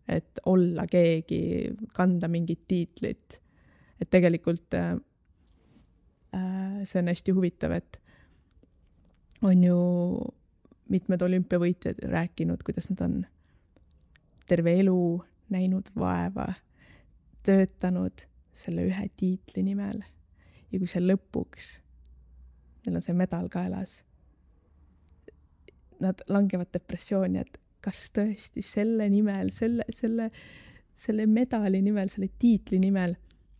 et olla keegi, kanda mingit tiitlit. Et tegelikult äh, see on hästi huvitav, et on ju mitmed olümpiavõitjad rääkinud, kuidas nad on terve elu näinud vaeva, töötanud selle ühe tiitli nimel. Ja kui see lõpuks, neil on see medal kaelas, nad langevad depressiooni, et kas tõesti selle nimel, selle, selle, selle medali nimel, selle tiitli nimel,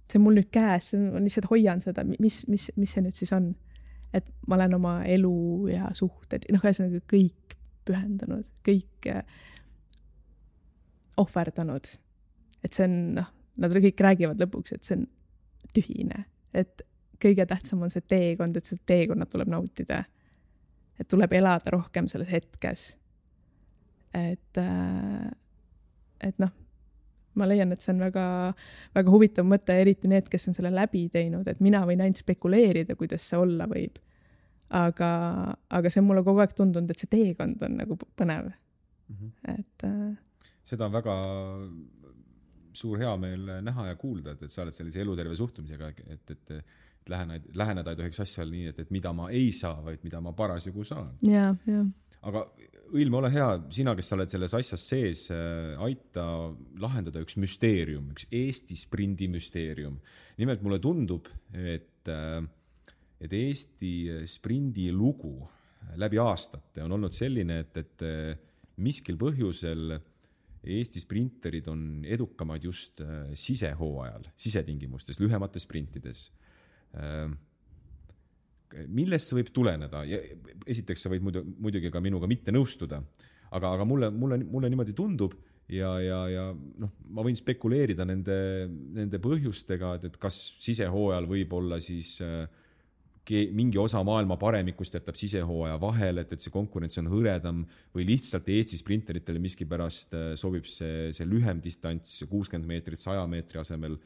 see on mul nüüd käes, ma lihtsalt hoian seda, mis, mis, mis see nüüd siis on. Et ma olen oma elu ja suhted, noh, ühesõnaga kõik pühendanud, kõik ohverdanud. Et see on, noh, nad kõik räägivad lõpuks, et see on tühine, et kõige tähtsam on see teekond, et see teekonnad tuleb nautida. Et tuleb elada rohkem selles hetkes. Et, et noh, ma leian, et see on väga, väga huvitav mõte, eriti need, kes on selle läbi teinud, et mina võin ainult spekuleerida, kuidas see olla võib. Aga, aga see on mulle kogu aeg tundunud, et see teekond on nagu põnev. Mm-hmm. Et, äh... seda on väga suur hea meel näha ja kuulda, et, et sa oled sellise eluterve suhtumisega, et, et, et läheneda, läheneda ei tohiks asjal nii, et, et mida ma ei saa, vaid mida ma parasjagu saan. Ja, ja. Aga Õilme, ole hea, sina, kes sa oled selles asjas sees, aita lahendada üks müsteerium, üks Eesti sprindi müsteerium. Nimelt mulle tundub, et, et Eesti sprindi lugu läbi aastate on olnud selline, et, et miskil põhjusel Eesti sprinterid on edukamad just sisehooajal, sisetingimustes, lühemates sprintides. Millest see võib tuleneda? Ja esiteks sa võid muidu, muidugi ka minuga mitte nõustuda, aga, aga mulle, mulle, mulle niimoodi tundub ja, ja, ja noh, ma võin spekuleerida nende, nende põhjustega, et, et kas sisehooajal võib olla siis äh, mingi osa maailma paremikust jätab sisehooaja vahel, et, et see konkurents on hõredam või lihtsalt Eesti sprinteritele miskipärast äh, sobib see, see lühem distants, kuuskümmend meetrit saja meetri asemel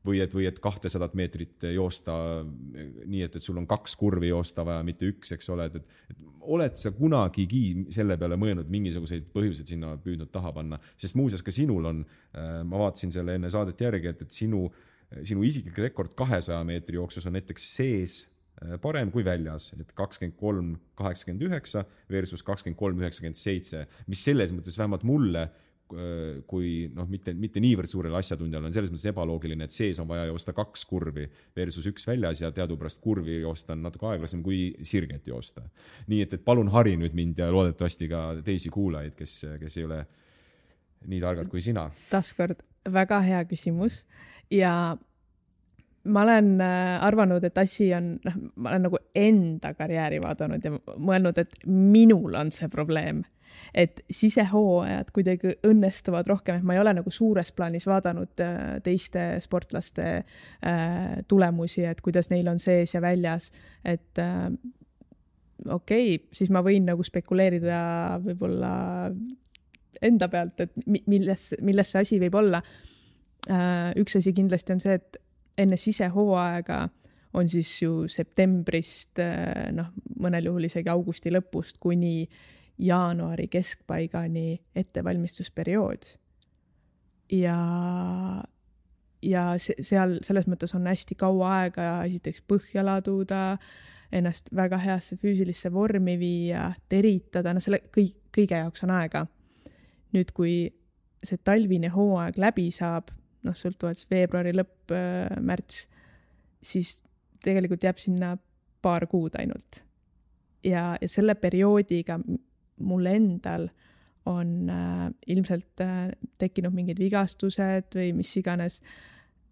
või et, või et kahtesadat meetrit joosta nii, et, et sul on kaks kurvi joosta vaja, mitte üks, eks ole. Et, et oled sa kunagigi selle peale mõelnud mingisuguseid põhjuseid sinna püüdnud taha panna? Sest muuseas ka sinul on, ma vaatasin selle enne saadet järgi, et, et sinu, sinu isiklik rekord kahesaja meetri jooksus on näiteks sees parem kui väljas, et kakskümmend kolm kaheksakümmend üheksa versus kakskümmend kolm üheksakümmend seitse, mis selles mõttes vähemalt mulle kui noh, mitte, mitte niivõrd suurele asjatundjale on selles mõttes ebaloogiline, et sees on vaja joosta kaks kurvi versus üks väljas ja teadupärast kurvi joosta on natuke aeglasem kui sirget joosta. Nii et, et palun hari nüüd mind ja loodetavasti ka teisi kuulajaid, kes, kes ei ole nii targad kui sina. Taaskord väga hea küsimus ja ma olen arvanud, et asi on, noh, ma olen nagu enda karjääri vaadanud ja mõelnud, et minul on see probleem. Et sisehooajad kuidagi õnnestuvad rohkem, et ma ei ole nagu suures plaanis vaadanud teiste sportlaste tulemusi, et kuidas neil on sees ja väljas, et okei, okay, siis ma võin nagu spekuleerida võib-olla enda pealt, et milles, milles see asi võib olla. Üks asi kindlasti on see, et enne sisehooaega on siis ju septembrist, noh, mõnel juhul isegi augusti lõpust kuni jaanuari keskpaigani ettevalmistusperiood. Ja, ja seal selles mõttes on hästi kaua aega esiteks põhja laduda, ennast väga heasse füüsilisse vormi viia, teritada, no selle kõik, kõige jaoks on aega. Nüüd, kui see talvine hooaeg läbi saab, noh, sõltuvalt veebruari lõpp, märts, siis tegelikult jääb sinna paar kuud ainult. Ja, ja selle perioodiga mul endal on äh, ilmselt äh, tekkinud mingid vigastused või mis iganes.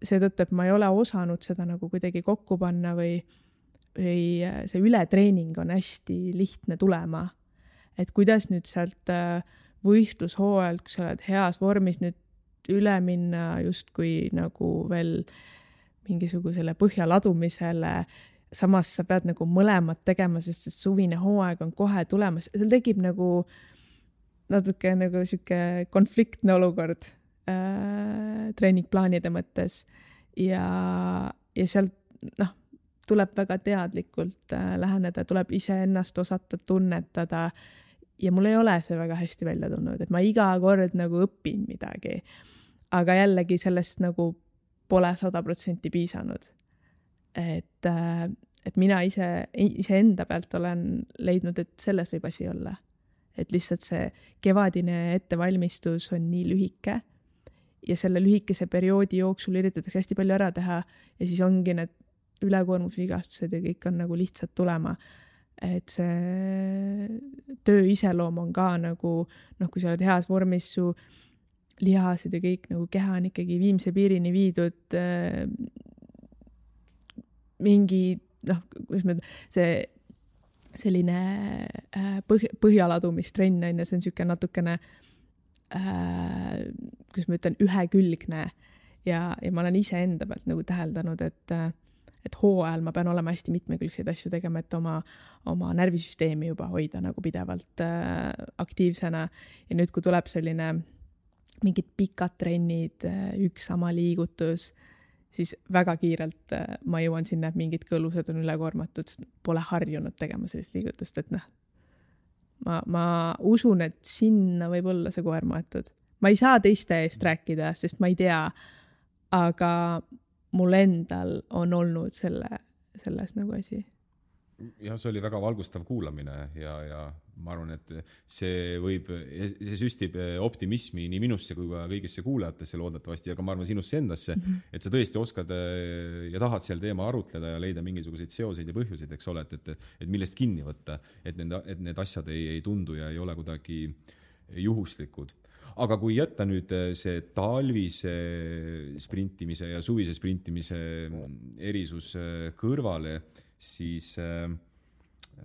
Seetõttu, et ma ei ole osanud seda nagu kuidagi kokku panna või, või see ületreening on hästi lihtne tulema. Et kuidas nüüd sealt äh, võistlushooajalt, kui sa oled heas vormis nüüd üle minna justkui nagu veel mingisugusele põhja ladumisele, samas sa pead nagu mõlemad tegema, sest suvine hooaeg on kohe tulemas. Seal tekib nagu natuke nagu siuke konfliktne olukord äh, treeningplaanide mõttes ja, ja sealt noh, tuleb väga teadlikult äh, läheneda, tuleb iseennast osata tunnetada ja mul ei ole see väga hästi välja tulnud, et ma iga kord nagu õpin midagi, aga jällegi sellest nagu pole sada protsenti piisanud. Et, et mina ise, ise enda pealt olen leidnud, et selles võib asi olla. Et lihtsalt see kevadine ettevalmistus on nii lühike ja selle lühikese perioodi jooksul üritatakse hästi palju ära teha ja siis ongi need ülekoormusvigastused ja kõik on nagu lihtsalt tulema. Et see töö iseloom on ka nagu, noh, kui sa oled heas vormis, su lihased ja kõik nagu keha on ikkagi viimse piirini viidud äh, mingi, noh, kuidas ma, see selline äh, põh, põhjaladumistrenn on ja see on siuke natukene äh, kuidas ma ütlen, ühekülgne ja, ja ma olen ise enda pealt nagu täheldanud, et, et hooajal ma pean olema hästi mitmekülgseid asju tegema, et oma, oma närvisüsteemi juba hoida nagu pidevalt äh, aktiivsena ja nüüd, kui tuleb selline mingid pikad trennid, üks sama liigutus, siis väga kiirelt ma jõuan sinna, et mingid kõlused on ülekoormatud, sest pole harjunud tegema sellist liigutust, et noh, ma, ma usun, et sinna võib olla see koer maetud. Ma ei saa teiste eest rääkida, sest ma ei tea, aga mul endal on olnud selle, selles nagu asi. Ja see oli väga valgustav kuulamine ja, ja ma arvan, et see võib, see süstib optimismi nii minusse kui ka kõigisse kuulajatesse loodetavasti, aga ma arvan sinusse endasse, mm -hmm. et sa tõesti oskad ja tahad seal teema arutleda ja leida mingisuguseid seoseid ja põhjuseid, eks ole, et, et, et millest kinni võtta, et need, et need asjad ei, ei tundu ja ei ole kuidagi juhuslikud. Aga kui jätta nüüd see talvise sprintimise ja suvise sprintimise erisus kõrvale, siis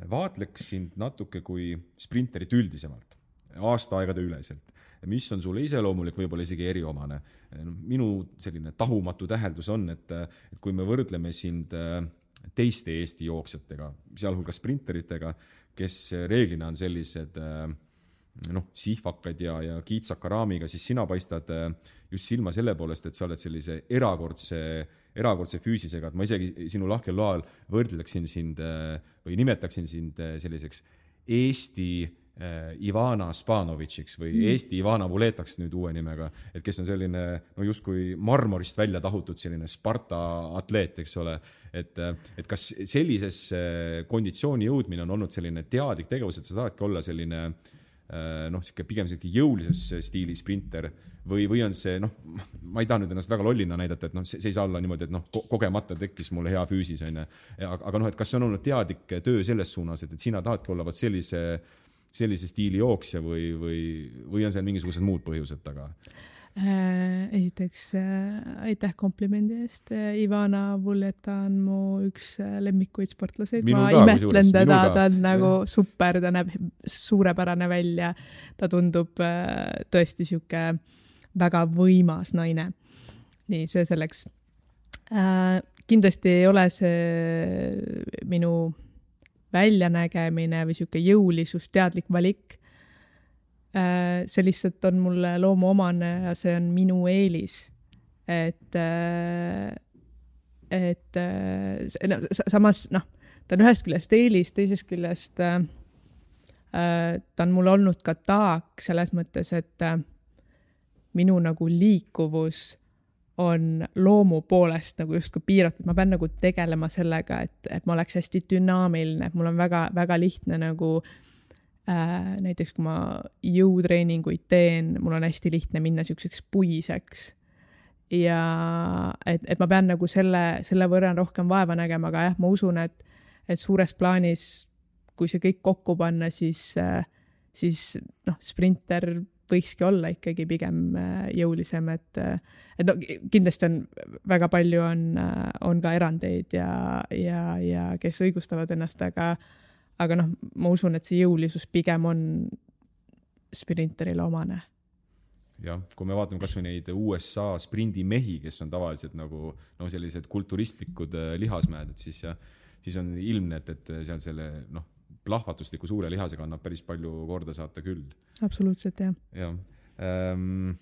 vaatleks sind natuke kui sprinterit üldisemalt, aastaaegade üleselt. Mis on sulle iseloomulik, võib-olla isegi eriomane. Minu selline tahumatu täheldus on, et, et kui me võrdleme sind teiste Eesti jooksjatega, sealhulgas sprinteritega, kes reeglina on sellised noh, sihvakad ja, ja kiitsaka raamiga, siis sina paistad just silma selle poolest, et sa oled sellise erakordse erakordse füüsisega, et ma isegi sinu lahkel loal võrdleksin sind või nimetaksin sind selliseks Eesti Ivana Spanovitšiks või Eesti Ivana Vuletaks nüüd uue nimega, et kes on selline no justkui marmorist välja tahutud selline Sparta atleet, eks ole, et, et kas sellises konditsiooni jõudmine on olnud selline teadlik tegevus, et sa tahadki olla selline noh, pigem selline jõulises stiili sprinter või, või on see, noh, ma ei taha nüüd ennast väga lollina näidata, et noh, see, see ei saa olla niimoodi, et noh, kogemata tekkis mulle hea füüsis, on, aga noh, et kas see on olnud teadlik töö selles suunas, et, et sina tahadki olla sellise, sellise stiili jooksja või, või, või on seal mingisugused muud põhjused taga? Esiteks aitäh komplimendi eest. Ivana Vuleta on mu üks lemmikuid sportlaseid. Ma imetlen teda, ta on nagu super, ta näeb suurepärane välja. Ta tundub tõesti siuke väga võimas naine. Nii, see selleks. Kindlasti ei ole see minu väljanägemine või siuke jõulisus, teadlik valik. See lihtsalt on mulle loomuomane ja see on minu eelis. Et, et no, samas, noh, ta on ühest küljest eelis, teisest küljest ta on mul olnud ka taak selles mõttes, et minu nagu liikuvus on loomu poolest nagu justkui piiratud. Ma pean nagu tegelema sellega, et, et ma oleks hästi dünaamiline, et mul on väga, väga lihtne nagu Äh, näiteks kui ma jõutreeninguid teen, mul on hästi lihtne minna siukseks puiseks ja et, et ma pean nagu selle, selle võrra rohkem vaeva nägema, aga jah, ma usun, et, et suures plaanis, kui see kõik kokku panna, siis, siis noh, sprinter võikski olla ikkagi pigem jõulisem, et, et no, kindlasti on väga palju on, on ka erandeid ja, ja, ja kes õigustavad ennast, aga Aga noh, ma usun, et see jõulisus pigem on sprinterile omane. jah, kui me vaatame kas või neid U S A sprindimehi, kes on tavaliselt nagu no, sellised kulturistlikud lihasmäed, et siis, ja, siis on ilmne, et, et seal selle no, plahvatusliku suure lihasega annab päris palju korda saata küll. Absoluutselt, jah. Ja. Ähm,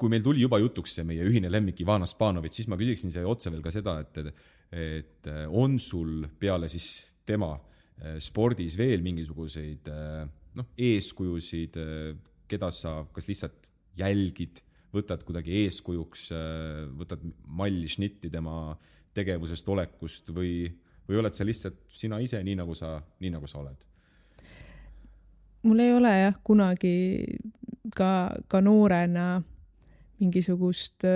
kui meil tuli juba jutuks see meie ühine lemmik Ivana Spanovitš, siis ma küsiksin see otse veel ka seda, et, et on sul peale siis tema spordis veel mingisuguseid no, eeskujusid, keda sa kas lihtsalt jälgid, võtad kuidagi eeskujuks, võtad malli šnitti tema tegevusest, olekust või, või oled sa lihtsalt sina ise nii, nagu sa, nii nagu sa oled? Mul ei ole jah kunagi ka, ka noorena mingisugust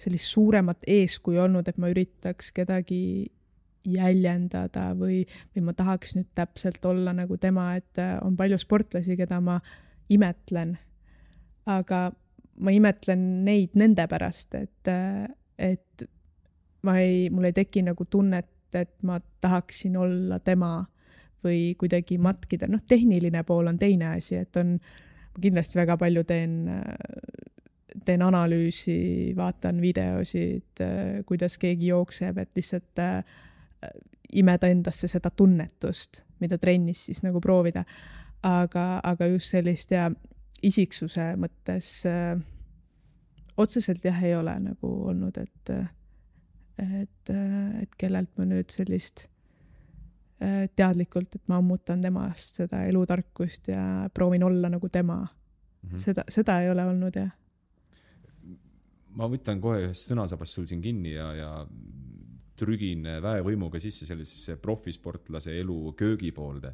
sellist suuremat eeskuju olnud, et ma üritaks kedagi jäljendada või, või ma tahaks nüüd täpselt olla nagu tema, et on palju sportlasi, keda ma imetlen, aga ma imetlen neid nende pärast, et, et ma ei, mul ei teki nagu tunnet, et ma tahaksin olla tema või kuidagi matkida. Noh, tehniline pool on teine asi, et on, kindlasti väga palju teen, teen analüüsi, vaatan videosid, kuidas keegi jookseb, et lihtsalt imeda endasse seda tunnetust, mida trennis siis nagu proovida. Aga, aga just sellist ja isiksuse mõttes äh, otseselt jah ei ole nagu olnud, et, et, et kellelt ma nüüd sellist äh, teadlikult, et ma ammutan temast seda elutarkust ja proovin olla nagu tema. Mm-hmm. Seda, seda ei ole olnud, jah. Ma võtan kohe ühest sõnasabast sul siin kinni ja, ja trügin väevõimuga sisse sellisesse profisportlase elu köögipoolde.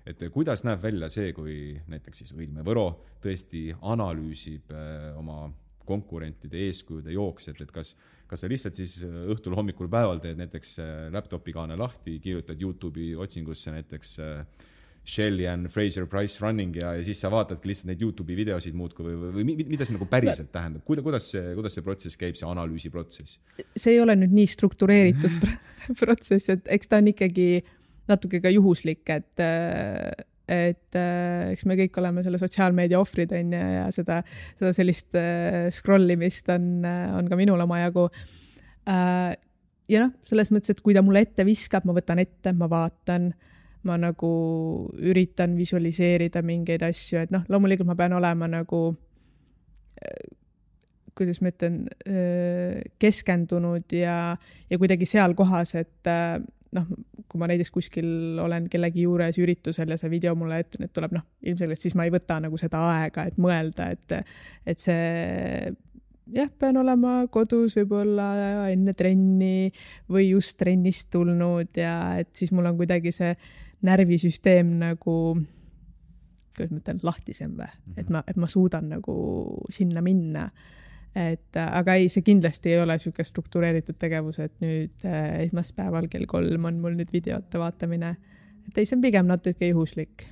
Et kuidas näeb välja see, kui näiteks siis Õilme Võro tõesti analüüsib oma konkurentide eeskujude jooksed, et kas, kas sa lihtsalt siis õhtul hommikul päeval teed näiteks laptopi kaane lahti, kirjutad YouTube'i otsingusse näiteks Shelly and Fraser Price running ja, ja siis sa vaatadki lihtsalt neid YouTube'i videosid muudku või, või, või mida see nagu päriselt tähendab? Kuidas, kuidas, see, kuidas see protsess käib, see analüüsi protsess? See ei ole nüüd nii struktureeritud protsess, et eks ta on ikkagi natuke ka juhuslik, et, et eks me kõik oleme selle sotsiaalmeedia ohvrid on ja, ja seda, seda sellist scrollimist on, on ka minul omajagu. Ja noh, selles mõttes, et kui ta mulle ette viskab, ma võtan ette, ma vaatan, ma nagu üritan visualiseerida mingeid asju, et noh, loomulikult ma pean olema nagu, kuidas ma ütlen, keskendunud ja, ja kuidagi seal kohas, et noh, kui ma näiteks kuskil olen kellegi juures üritusel ja see video mulle ette nüüd tuleb, noh, ilmselgelt siis ma ei võta nagu seda aega, et mõelda, et, et see jah, pean olema kodus võib-olla enne trenni või just trennist tulnud ja et siis mul on kuidagi see närvisüsteem nagu, kuidas ma ütlen, lahtisem või, mm-hmm. et, ma, et ma suudan nagu sinna minna. Et, aga ei, see kindlasti ei ole selline struktureeritud tegevus, et nüüd äh, esmaspäeval kell kolm on mul nüüd videote vaatamine. Et ei, see on pigem natuke juhuslik,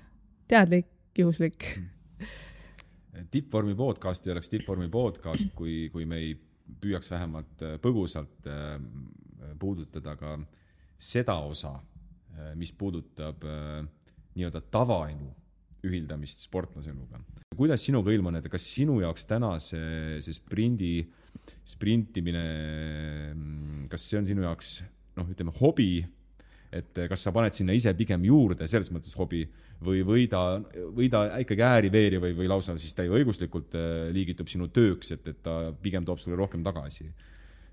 teadlik, juhuslik. Tippvormi podcast ei oleks Tippvormi podcast, kui, kui me ei püüaks vähemalt põgusalt äh, puudutada ka seda osa, mis puudutab äh, nii-öelda tavaelu ühildamist sportlaseluga. Kuidas sinuga ilman, et kas sinu jaoks täna see, see sprindi, sprintimine, kas see on sinu jaoks, noh, ütleme, hobi, et kas sa paned sinna ise pigem juurde, selles mõttes hobi, või, või, ta, või ta ikkagi ääri-veeri või, või lausa siis täie õiguslikult liigitub sinu tööks, et, et ta pigem toob sulle rohkem tagasi?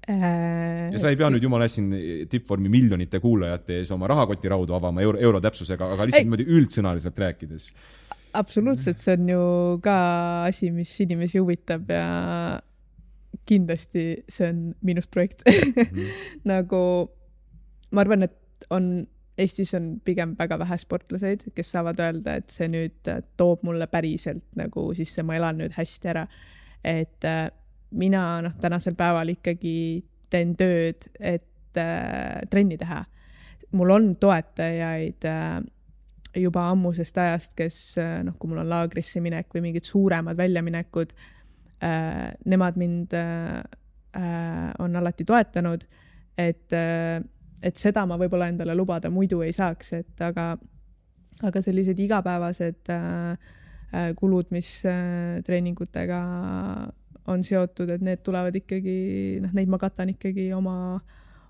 Ja sa ei pea nüüd jumala siin tippvormi miljonite kuulajate ees oma rahakoti raudu avama euro, euro täpsusega, aga lihtsalt niimoodi üldsõnaliselt rääkides. Absoluutselt, see on ju ka asi, mis inimesi huvitab ja kindlasti see on miinusprojekt. Mm-hmm. Nagu ma arvan, et on, Eestis on pigem väga vähe sportlaseid, kes saavad öelda, et see nüüd toob mulle päriselt nagu siis ma elan nüüd hästi ära. Et mina noh, tänasel päeval ikkagi teen tööd, et äh, trenni teha. Mul on toetajaid äh, juba ammusest ajast, kes äh, noh, kui mul on laagrisse minek või mingid suuremad väljaminekud, äh, nemad mind äh, äh, on alati toetanud, et, äh, et seda ma võib-olla endale lubada muidu ei saaks, et aga, aga sellised igapäevased äh, äh, kulud, mis äh, treeningutega on seotud, et need tulevad ikkagi, noh, neid ma katan ikkagi oma,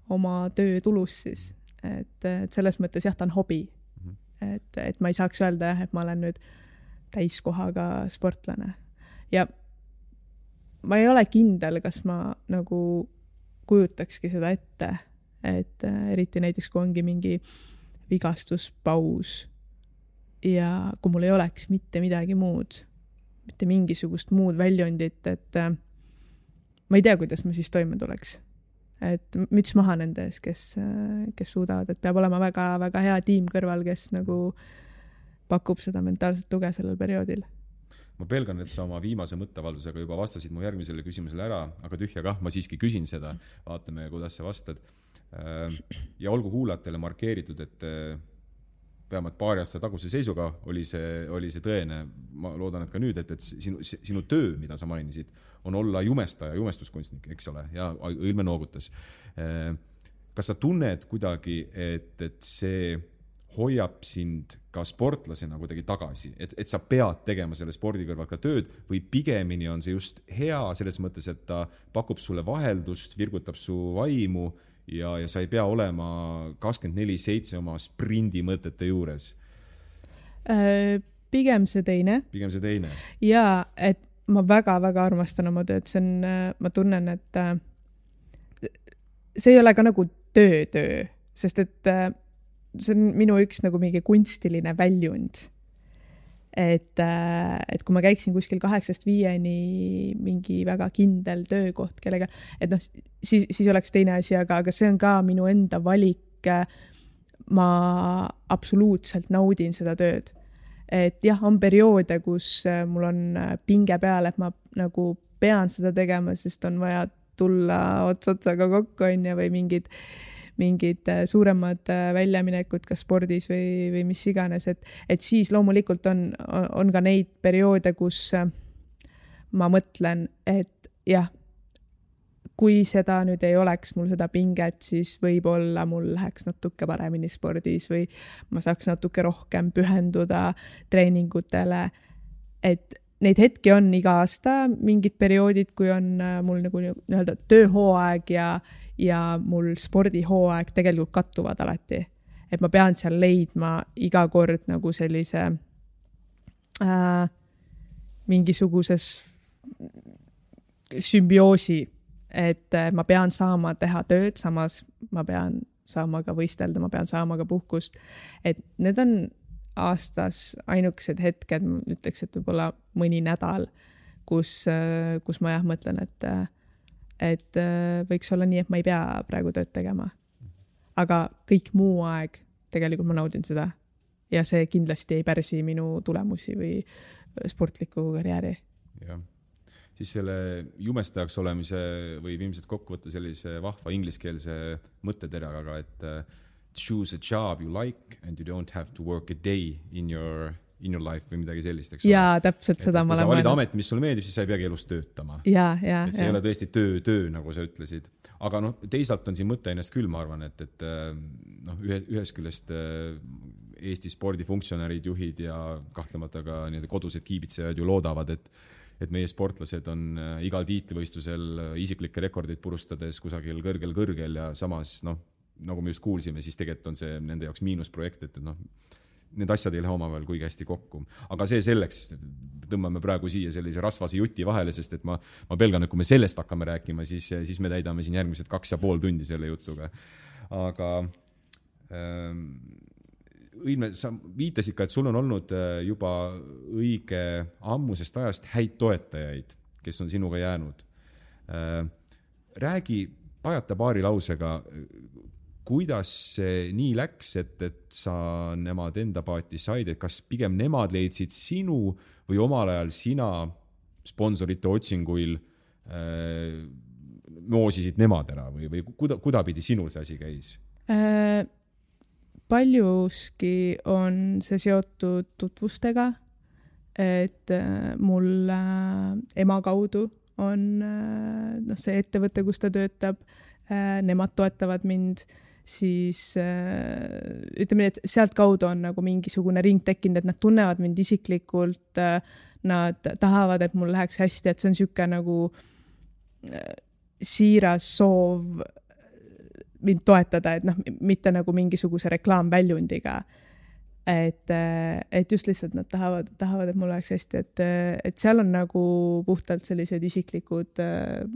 oma töö tulus siis. Et, et selles mõttes jah, ta on hobi. Mm-hmm. Et, et ma ei saaks öelda, et ma olen nüüd täiskohaga sportlane. Ja ma ei ole kindel, kas ma nagu kujutakski seda ette, et eriti näiteks, kui ongi mingi vigastuspaus ja kui mul ei oleks mitte midagi muud, mitte mingisugust muud väljundit, et äh, ma ei tea, kuidas ma siis toime tuleks. Et müts maha nende ees, kes, äh, kes suudavad, et peab olema väga, väga hea tiim kõrval, kes nagu pakub seda mentaalset tuge sellel perioodil. Ma pelgan, et sa oma viimase mõttevaldusega juba vastasid mu järgmisele küsimusele ära, aga tühja kah, ma siiski küsin seda, vaatame, kuidas sa vastad. Ja olgu kuulajatele markeeritud, et vähemalt paari aasta taguse seisuga oli see, oli see tõene. Ma loodan, et ka nüüd, et, et sinu, sinu töö, mida sa mainisid, on olla jumestaja, jumestuskunstnik, eks ole, ja Õilme noogutas. Kas sa tunned kuidagi, et, et see hoiab sind ka sportlasena kuidagi tagasi, et, et sa pead tegema selle spordi kõrval ka tööd või pigemini on see just hea selles mõttes, et ta pakub sulle vaheldust, virgutab su vaimu ja, ja sa ei pea olema kakskümmend neli seitse oma sprindi mõtete juures? pigem see teine. Pigem see teine. Ja, et ma väga-väga armastan oma tööd. See on, ma tunnen, et see ei ole ka nagu töö-töö, sest et see on minu üks nagu mingi kunstiline väljund. Et, et kui ma käiksin kuskil kaheksast viieni mingi väga kindel töökoht kellega, et noh, siis, siis oleks teine asi, aga, aga see on ka minu enda valik. Ma absoluutselt naudin seda tööd. Et jah, on perioode, kus mul on pinge peal, et ma nagu pean seda tegema, sest on vaja tulla ots otsaga kokku on ja või mingid, mingid suuremad väljaminekud kas spordis või, või mis iganes, et, et siis loomulikult on, on ka neid perioode, kus ma mõtlen, et jah, kui seda nüüd ei oleks mul seda pinget, siis võib-olla mul läheks natuke paremini spordis või ma saaks natuke rohkem pühenduda treeningutele, et neid hetki on iga aasta, mingid perioodid, kui on mul nagu nii-öelda tööhooaeg ja, ja mul spordihooaeg tegelikult kattuvad alati. Et ma pean seal leidma iga kord nagu sellise äh, mingisuguses sümbioosi, et ma pean saama teha tööd, samas ma pean saama ka võistelda, ma pean saama ka puhkust. Et need on aastas ainukesed hetked, ma ütleks, et võib-olla mõni nädal, kus, kus ma jah mõtlen, et, et võiks olla nii, et ma ei pea praegu tööd tegema. Aga kõik muu aeg tegelikult ma naudin seda ja see kindlasti ei pärsi minu tulemusi või sportliku karjääri. Jah. Siis selle jumestajaks olemise või ilmselt kokku võtta sellise vahva ingliskeelse mõtteteraga, et choose a job you like and you don't have to work a day in your, in your life või midagi sellist. Eks jaa, täpselt seda ma olen mõelnud. Kui sa valid amet, mis sulle meeldib, siis sa ei peagi elus töötama. Jaa, jaa. Et see ja. Ei ole tõesti töö, töö, nagu sa ütlesid. Aga noh, teisalt on siin mõte ennast küll, ma arvan, et, et noh, ühe, ühes küljest Eesti spordifunktsionärid, juhid ja kahtlemata ka kodused kiibitsejad ju loodavad, et, et meie sportlased on igal tiitlivõistlusel isiklikke rekordid purustades kusagil kõrgel-kõrgel ja samas noh, nagu me just kuulsime, siis tegelikult on see nende jaoks miinusprojekt, et noh, need asjad ei lähe omavahel kuigi hästi kokku. Aga see selleks tõmbame praegu siia sellise rasvase juti vahele, sest et ma, ma pelgan, et kui me sellest hakkame rääkima, siis, siis me täidame siin järgmised kaks ja pool tundi selle jutuga. Aga ähm, Õilme, sa viitasid ka, et sul on olnud juba õige ammusest ajast häid toetajaid, kes on sinuga jäänud. Äh, räägi pajata paari lausega, kuidas see nii läks, et, et sa nemad enda paati said, et kas pigem nemad leidsid sinu või omal ajal sina sponsorite otsinguil äh, moosisid nemad ära või, või kuda, kudapidi sinul see asi käis? Äh, paljuski on see seotud tutvustega, et äh, mul äh, ema kaudu on äh, no, see ettevõte, kus ta töötab, äh, nemad toetavad mind, siis äh, ütleme nii, et sealt kaudu on nagu mingisugune ring tekkinud, et nad tunnevad mind isiklikult, äh, nad tahavad, et mul läheks hästi, et see on siuke nagu äh, siiras soov mind toetada, et noh, mitte nagu mingisuguse reklaamväljundiga. Et, et just lihtsalt nad tahavad, tahavad, et mul läheks hästi, et, et seal on nagu puhtalt sellised isiklikud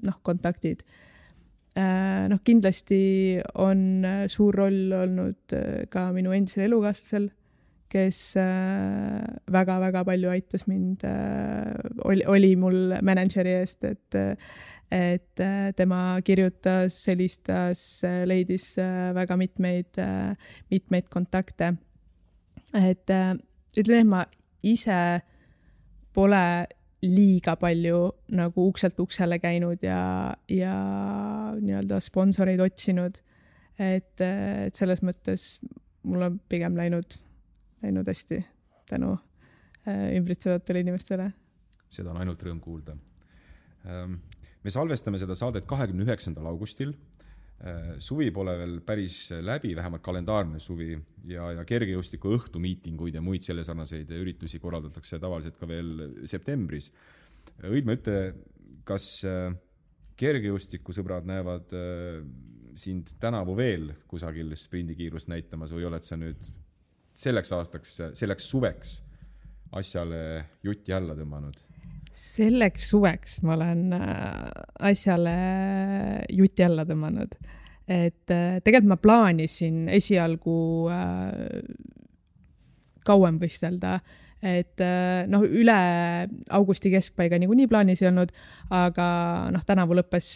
noh, kontaktid. Noh, kindlasti on suur roll olnud ka minu endisel elukaaslasel, kes väga-väga palju aitas mind, oli, oli mul manažeri eest, et, et tema kirjutas, helistas, leidis väga mitmeid, mitmeid kontakte. Et ütleme, ma ise pole liiga palju nagu ukselt uksele käinud ja, ja nii-öelda sponsoreid otsinud. Et, et selles mõttes mul on pigem läinud, läinud hästi tänu ümbritsevatele inimestele. Seda on ainult rõõm kuulda. Me salvestame seda saadet kahekümne üheksandal augustil. Suvi pole veel päris läbi, vähemalt kalendaarne suvi ja, ja kergejõustiku õhtumiitinguid ja muid selle sarnaseid üritusi korraldatakse tavaliselt ka veel septembris. Õidme ütle, kas kergejõustiku sõbrad näevad sind tänavu veel kusagil sprindikiirust näitamas või oled sa nüüd selleks aastaks, selleks suveks asjale jutti alla tõmmanud? Selleks suveks ma olen asjale jutti alla tõmmanud. Et tegelikult ma plaanisin esialgu kauem võistelda, et noh, üle augusti keskpaiga niikuinii plaanis ei olnud, aga noh, tänavu lõppes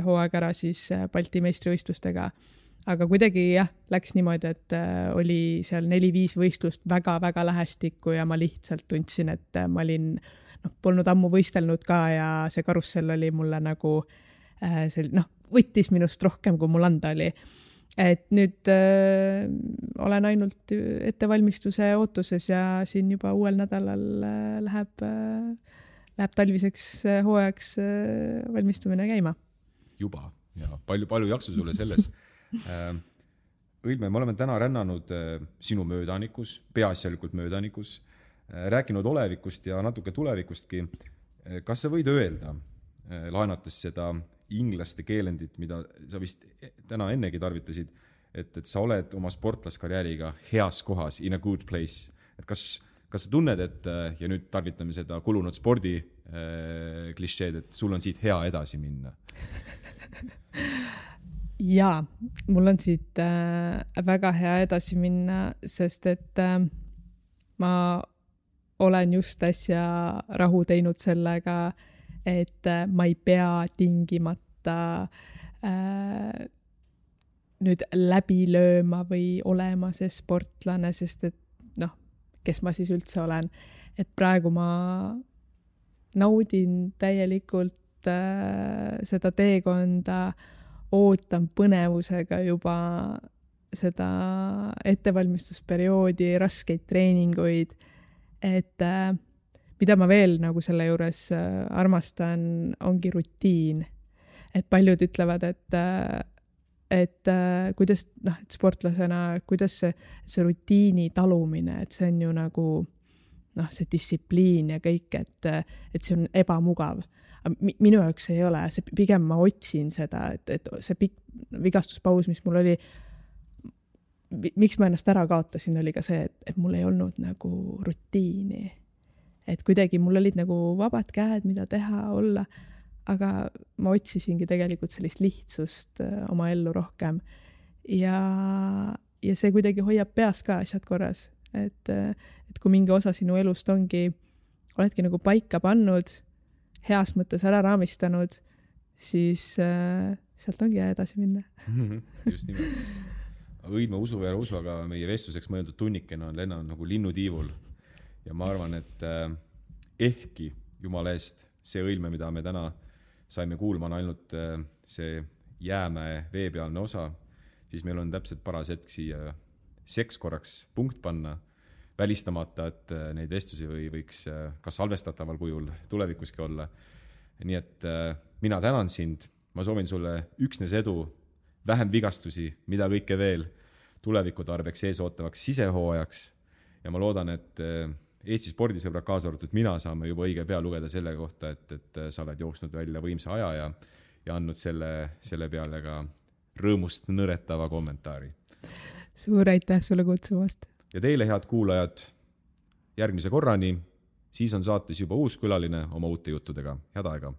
hooaeg ära siis Balti meistrivõistlustega. Aga kuidagi jah, läks niimoodi, et oli seal neli-viis võistlust väga-väga lähestikku ja ma lihtsalt tundsin, et ma olin, noh, polnud ammu võistelnud ka ja see karussell oli mulle nagu see, noh, võttis minust rohkem, kui mul anda oli. Et nüüd äh, olen ainult ettevalmistuse ootuses ja siin juba uuel nädalal äh, läheb, äh, läheb talviseks äh, hooajaks äh, valmistumine käima. Juba, ja palju, palju jaksu sulle selles. äh, Õilme, me oleme täna rännanud äh, sinu möödanikus, peaasjalikult möödanikus, äh, rääkinud olevikust ja natuke tulevikustki. Äh, kas sa võid öelda, äh, laenates seda inglaste keelendit, mida sa vist täna ennegi tarvitasid, et, et sa oled oma sportlaskarjääriga heas kohas, in a good place. Et kas, kas sa tunned, et, ja nüüd tarvitame seda kulunud spordi äh, klišeed, et sul on siit hea edasi minna? Jaa, mul on siit äh, väga hea edasi minna, sest et äh, ma olen just äsja rahu teinud sellega, et ma ei pea tingimata äh, nüüd läbi lööma või olema see sportlane, sest et noh, kes ma siis üldse olen. Et praegu ma naudin täielikult äh, seda teekonda, ootan põnevusega juba seda ettevalmistusperioodi, raskeid treeninguid, et äh, mida ma veel nagu selle juures armastan, ongi rutiin. Et paljud ütlevad, et, et kuidas, noh, et sportlasena, kuidas see, see rutiini talumine, et see on ju nagu, noh, see distsipliin ja kõik, et, et see on ebamugav. Minu jaoks ei ole, see pigem ma otsin seda, et, et see pikk vigastuspaus, mis mul oli, miks ma ennast ära kaotasin, oli ka see, et, et mul ei olnud nagu rutiini. Et kuidagi mul olid nagu vabad käed, mida teha, olla, aga ma otsisingi tegelikult sellist lihtsust oma ellu rohkem. Ja, ja see kuidagi hoiab peas ka asjad korras. Et, et kui mingi osa sinu elust ongi, oledki nagu paika pannud, heas mõttes ära raamistanud, siis äh, sealt ongi edasi minna. Just nimelt. Õilme usu ja usu, aga meie vestluseks mõeldud tunnikena on lennanud nagu linnutiivul. Ja ma arvan, et äh, ehkki jumala eest see õilme, mida me täna saime kuulma, on ainult äh, see jäämäe veepealne osa, siis meil on täpselt paras hetk siia seks korraks punkt panna, välistamata, et äh, neid vestlusi või võiks äh, kas salvestataval kujul tulevikuski olla. Nii et äh, mina tänan sind, ma soovin sulle üksnes edu, vähem vigastusi, mida kõike veel tuleviku tarbeks ees ootavaks sisehooajaks ja ma loodan, et äh, Eesti spordisõbrad kaasa arvatud mina saame juba õige pea lugeda selle kohta, et, et sa oled jooksnud välja võimsa aja ja, ja andnud selle, selle peale ka rõõmust nõretava kommentaari. Suur aitäh sulle kutsumast. Ja teile, head kuulajad, järgmise korrani, siis on saates juba uus külaline oma uute juttudega. Head aega!